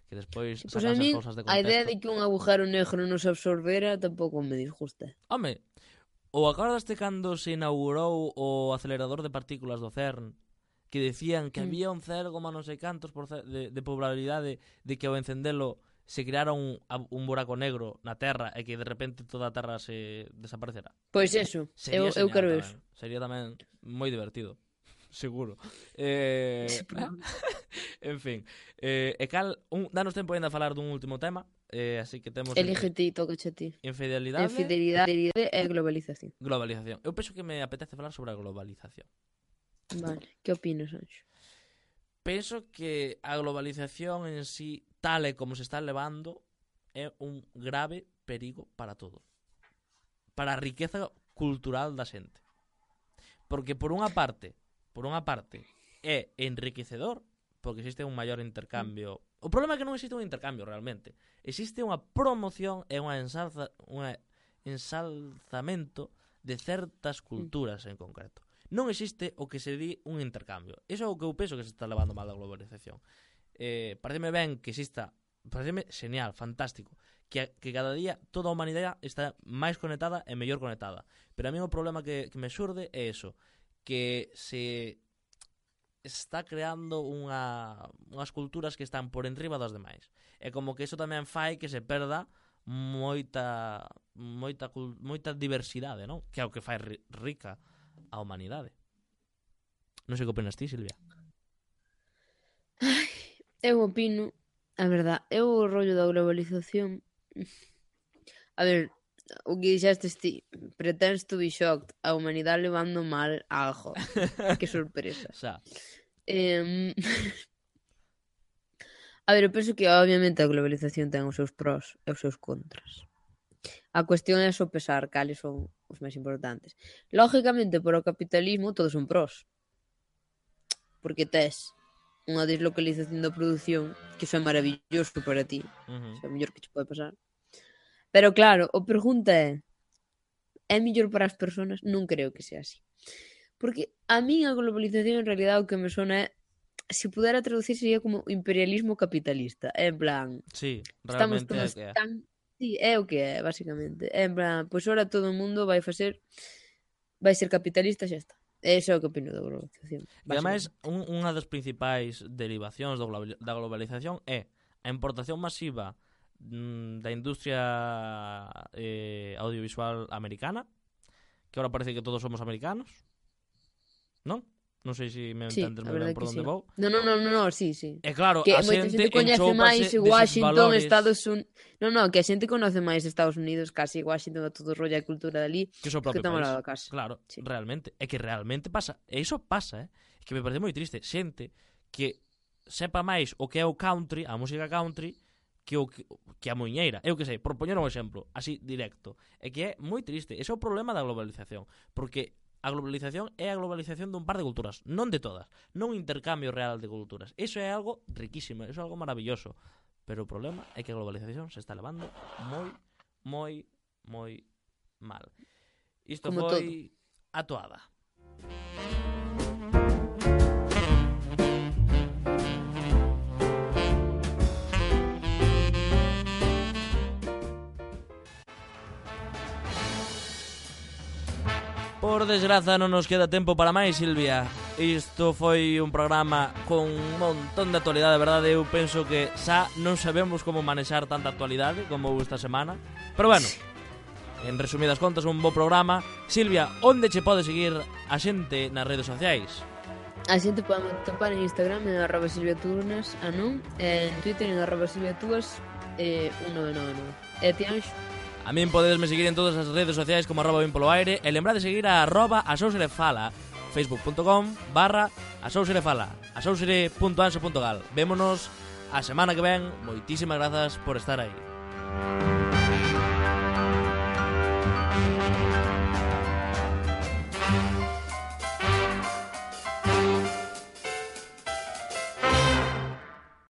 Que despois Pois sacan a esas mí, cousas de a idea contexto. de que un agujero negro nos absorbera tampouco me disgusta. Home, ou acordaste cando se inaugurou o acelerador de partículas do CERN, que decían que Mm. había un cero coma non sei cantos por ce- de, de probabilidade de que ao encendelo se creara un, a- un buraco negro na Terra e que de repente toda a Terra se desaparecera? Pois eso, eu, Sería eu genial quero tamén. eso. Sería tamén moi divertido. Seguro. Eh, en fin. Eh, e cal, un, danos tempo ainda a falar dun último tema. Eh, así que temos Elige ti, toca a ti. infidelidade Infidelidade e globalización. globalización. Eu penso que me apetece falar sobre a globalización. Vale, que opinas, Anxo? Penso que a globalización en sí, tal e como se está levando, é un grave perigo para todo. Para a riqueza cultural da xente. Porque por unha parte, por unha parte, é enriquecedor, porque existe un maior intercambio. O problema é que non existe un intercambio realmente. Existe unha promoción e unha ensalza, unha ensalzamento de certas culturas en concreto. Non existe o que se di un intercambio. Iso é o que eu penso que se está levando mal a globalización. Eh, pareceme ben que exista, pareceme genial, fantástico, que, que cada día toda a humanidade está máis conectada e mellor conectada. Pero a mí o problema que, que me xurde é eso, que se está creando unha, unhas culturas que están por enriba das demais. E como que iso tamén fai que se perda moita moita moita diversidade, non? Que é o que fai ri, rica a humanidade. Non sei que opinas ti, Silvia. Eu opino, a verdad, eu o rollo da globalización. A ver, o que dixestes ti, pretends to be shocked, a humanidade levando mal algo. Que sorpresa. Xa. Eh, a ver, eu penso que obviamente a globalización ten os seus pros e os seus contras. A cuestión é sopesar cales son os máis importantes. Lógicamente, por o capitalismo, todos son pros. Porque tes unha deslocalización da produción, que iso é maravilloso para ti. Uh-huh. Iso é o mellor que che pode pasar. Pero claro, a pregunta é: é mellor para as persoas? Non creo que sea así. Porque a min a globalización en realidad o que me sona é, se pudera traducir sería como imperialismo capitalista. É en plan, Sí, estamos realmente é todos que é. tan... Sí, é o que é, basicamente. É en plan, pois ora todo o mundo vai facer, vai ser capitalista e xa está. Eso é o que opino da globalización. E ademais, un, unha das principais derivacións do global, da globalización é a importación masiva mm, da industria eh, audiovisual americana, que ahora parece que todos somos americanos, non? Non sei se me Sí, entendes a moi ben verdade por que onde sí. vou. No, no, no, no, no, sí, sí. E claro, Que a moita xente xente coñece enchópase máis deses Washington, valores Estados Unidos... No, no, que a xente conoce máis Estados Unidos, casi Washington, a todo o rollo e cultura dali, que o seu que propio toma país. lá da casa. Claro, Sí. realmente. É que realmente pasa. E iso pasa, eh? É que me parece moi triste. Xente que sepa máis o que é o country, a música country, que o que, que a muiñeira. Eu que sei, por poñer un exemplo, así directo. É que é moi triste. Ese é o problema da globalización. Porque a globalización é a globalización dun par de culturas, non de todas. Non un intercambio real de culturas. Eso é algo riquísimo, eso é algo maravilloso. Pero o problema é que a globalización se está levando moi, moi, moi mal. Isto Como foi a toada. Por desgraza non nos queda tempo para máis, Silvia. Isto foi un programa con un montón de actualidade, de verdade. Eu penso que xa non sabemos como manexar tanta actualidade como esta semana. Pero bueno, En resumidas contas, un bo programa. Silvia, onde che pode seguir a xente nas redes sociais? A xente pode topar en Instagram en arroba silviatunas, a non, en Twitter en arroba silviatuas e un nove nove nove. E ti, Anxo? A min podedesme seguir en todas as redes sociais como arroba ben polo aire e lembrade de seguir a arroba asouserefala, facebook.com barra asouserefala, asousere punto anso punto gal. Vémonos a semana que ven. Moitísimas grazas por estar aí.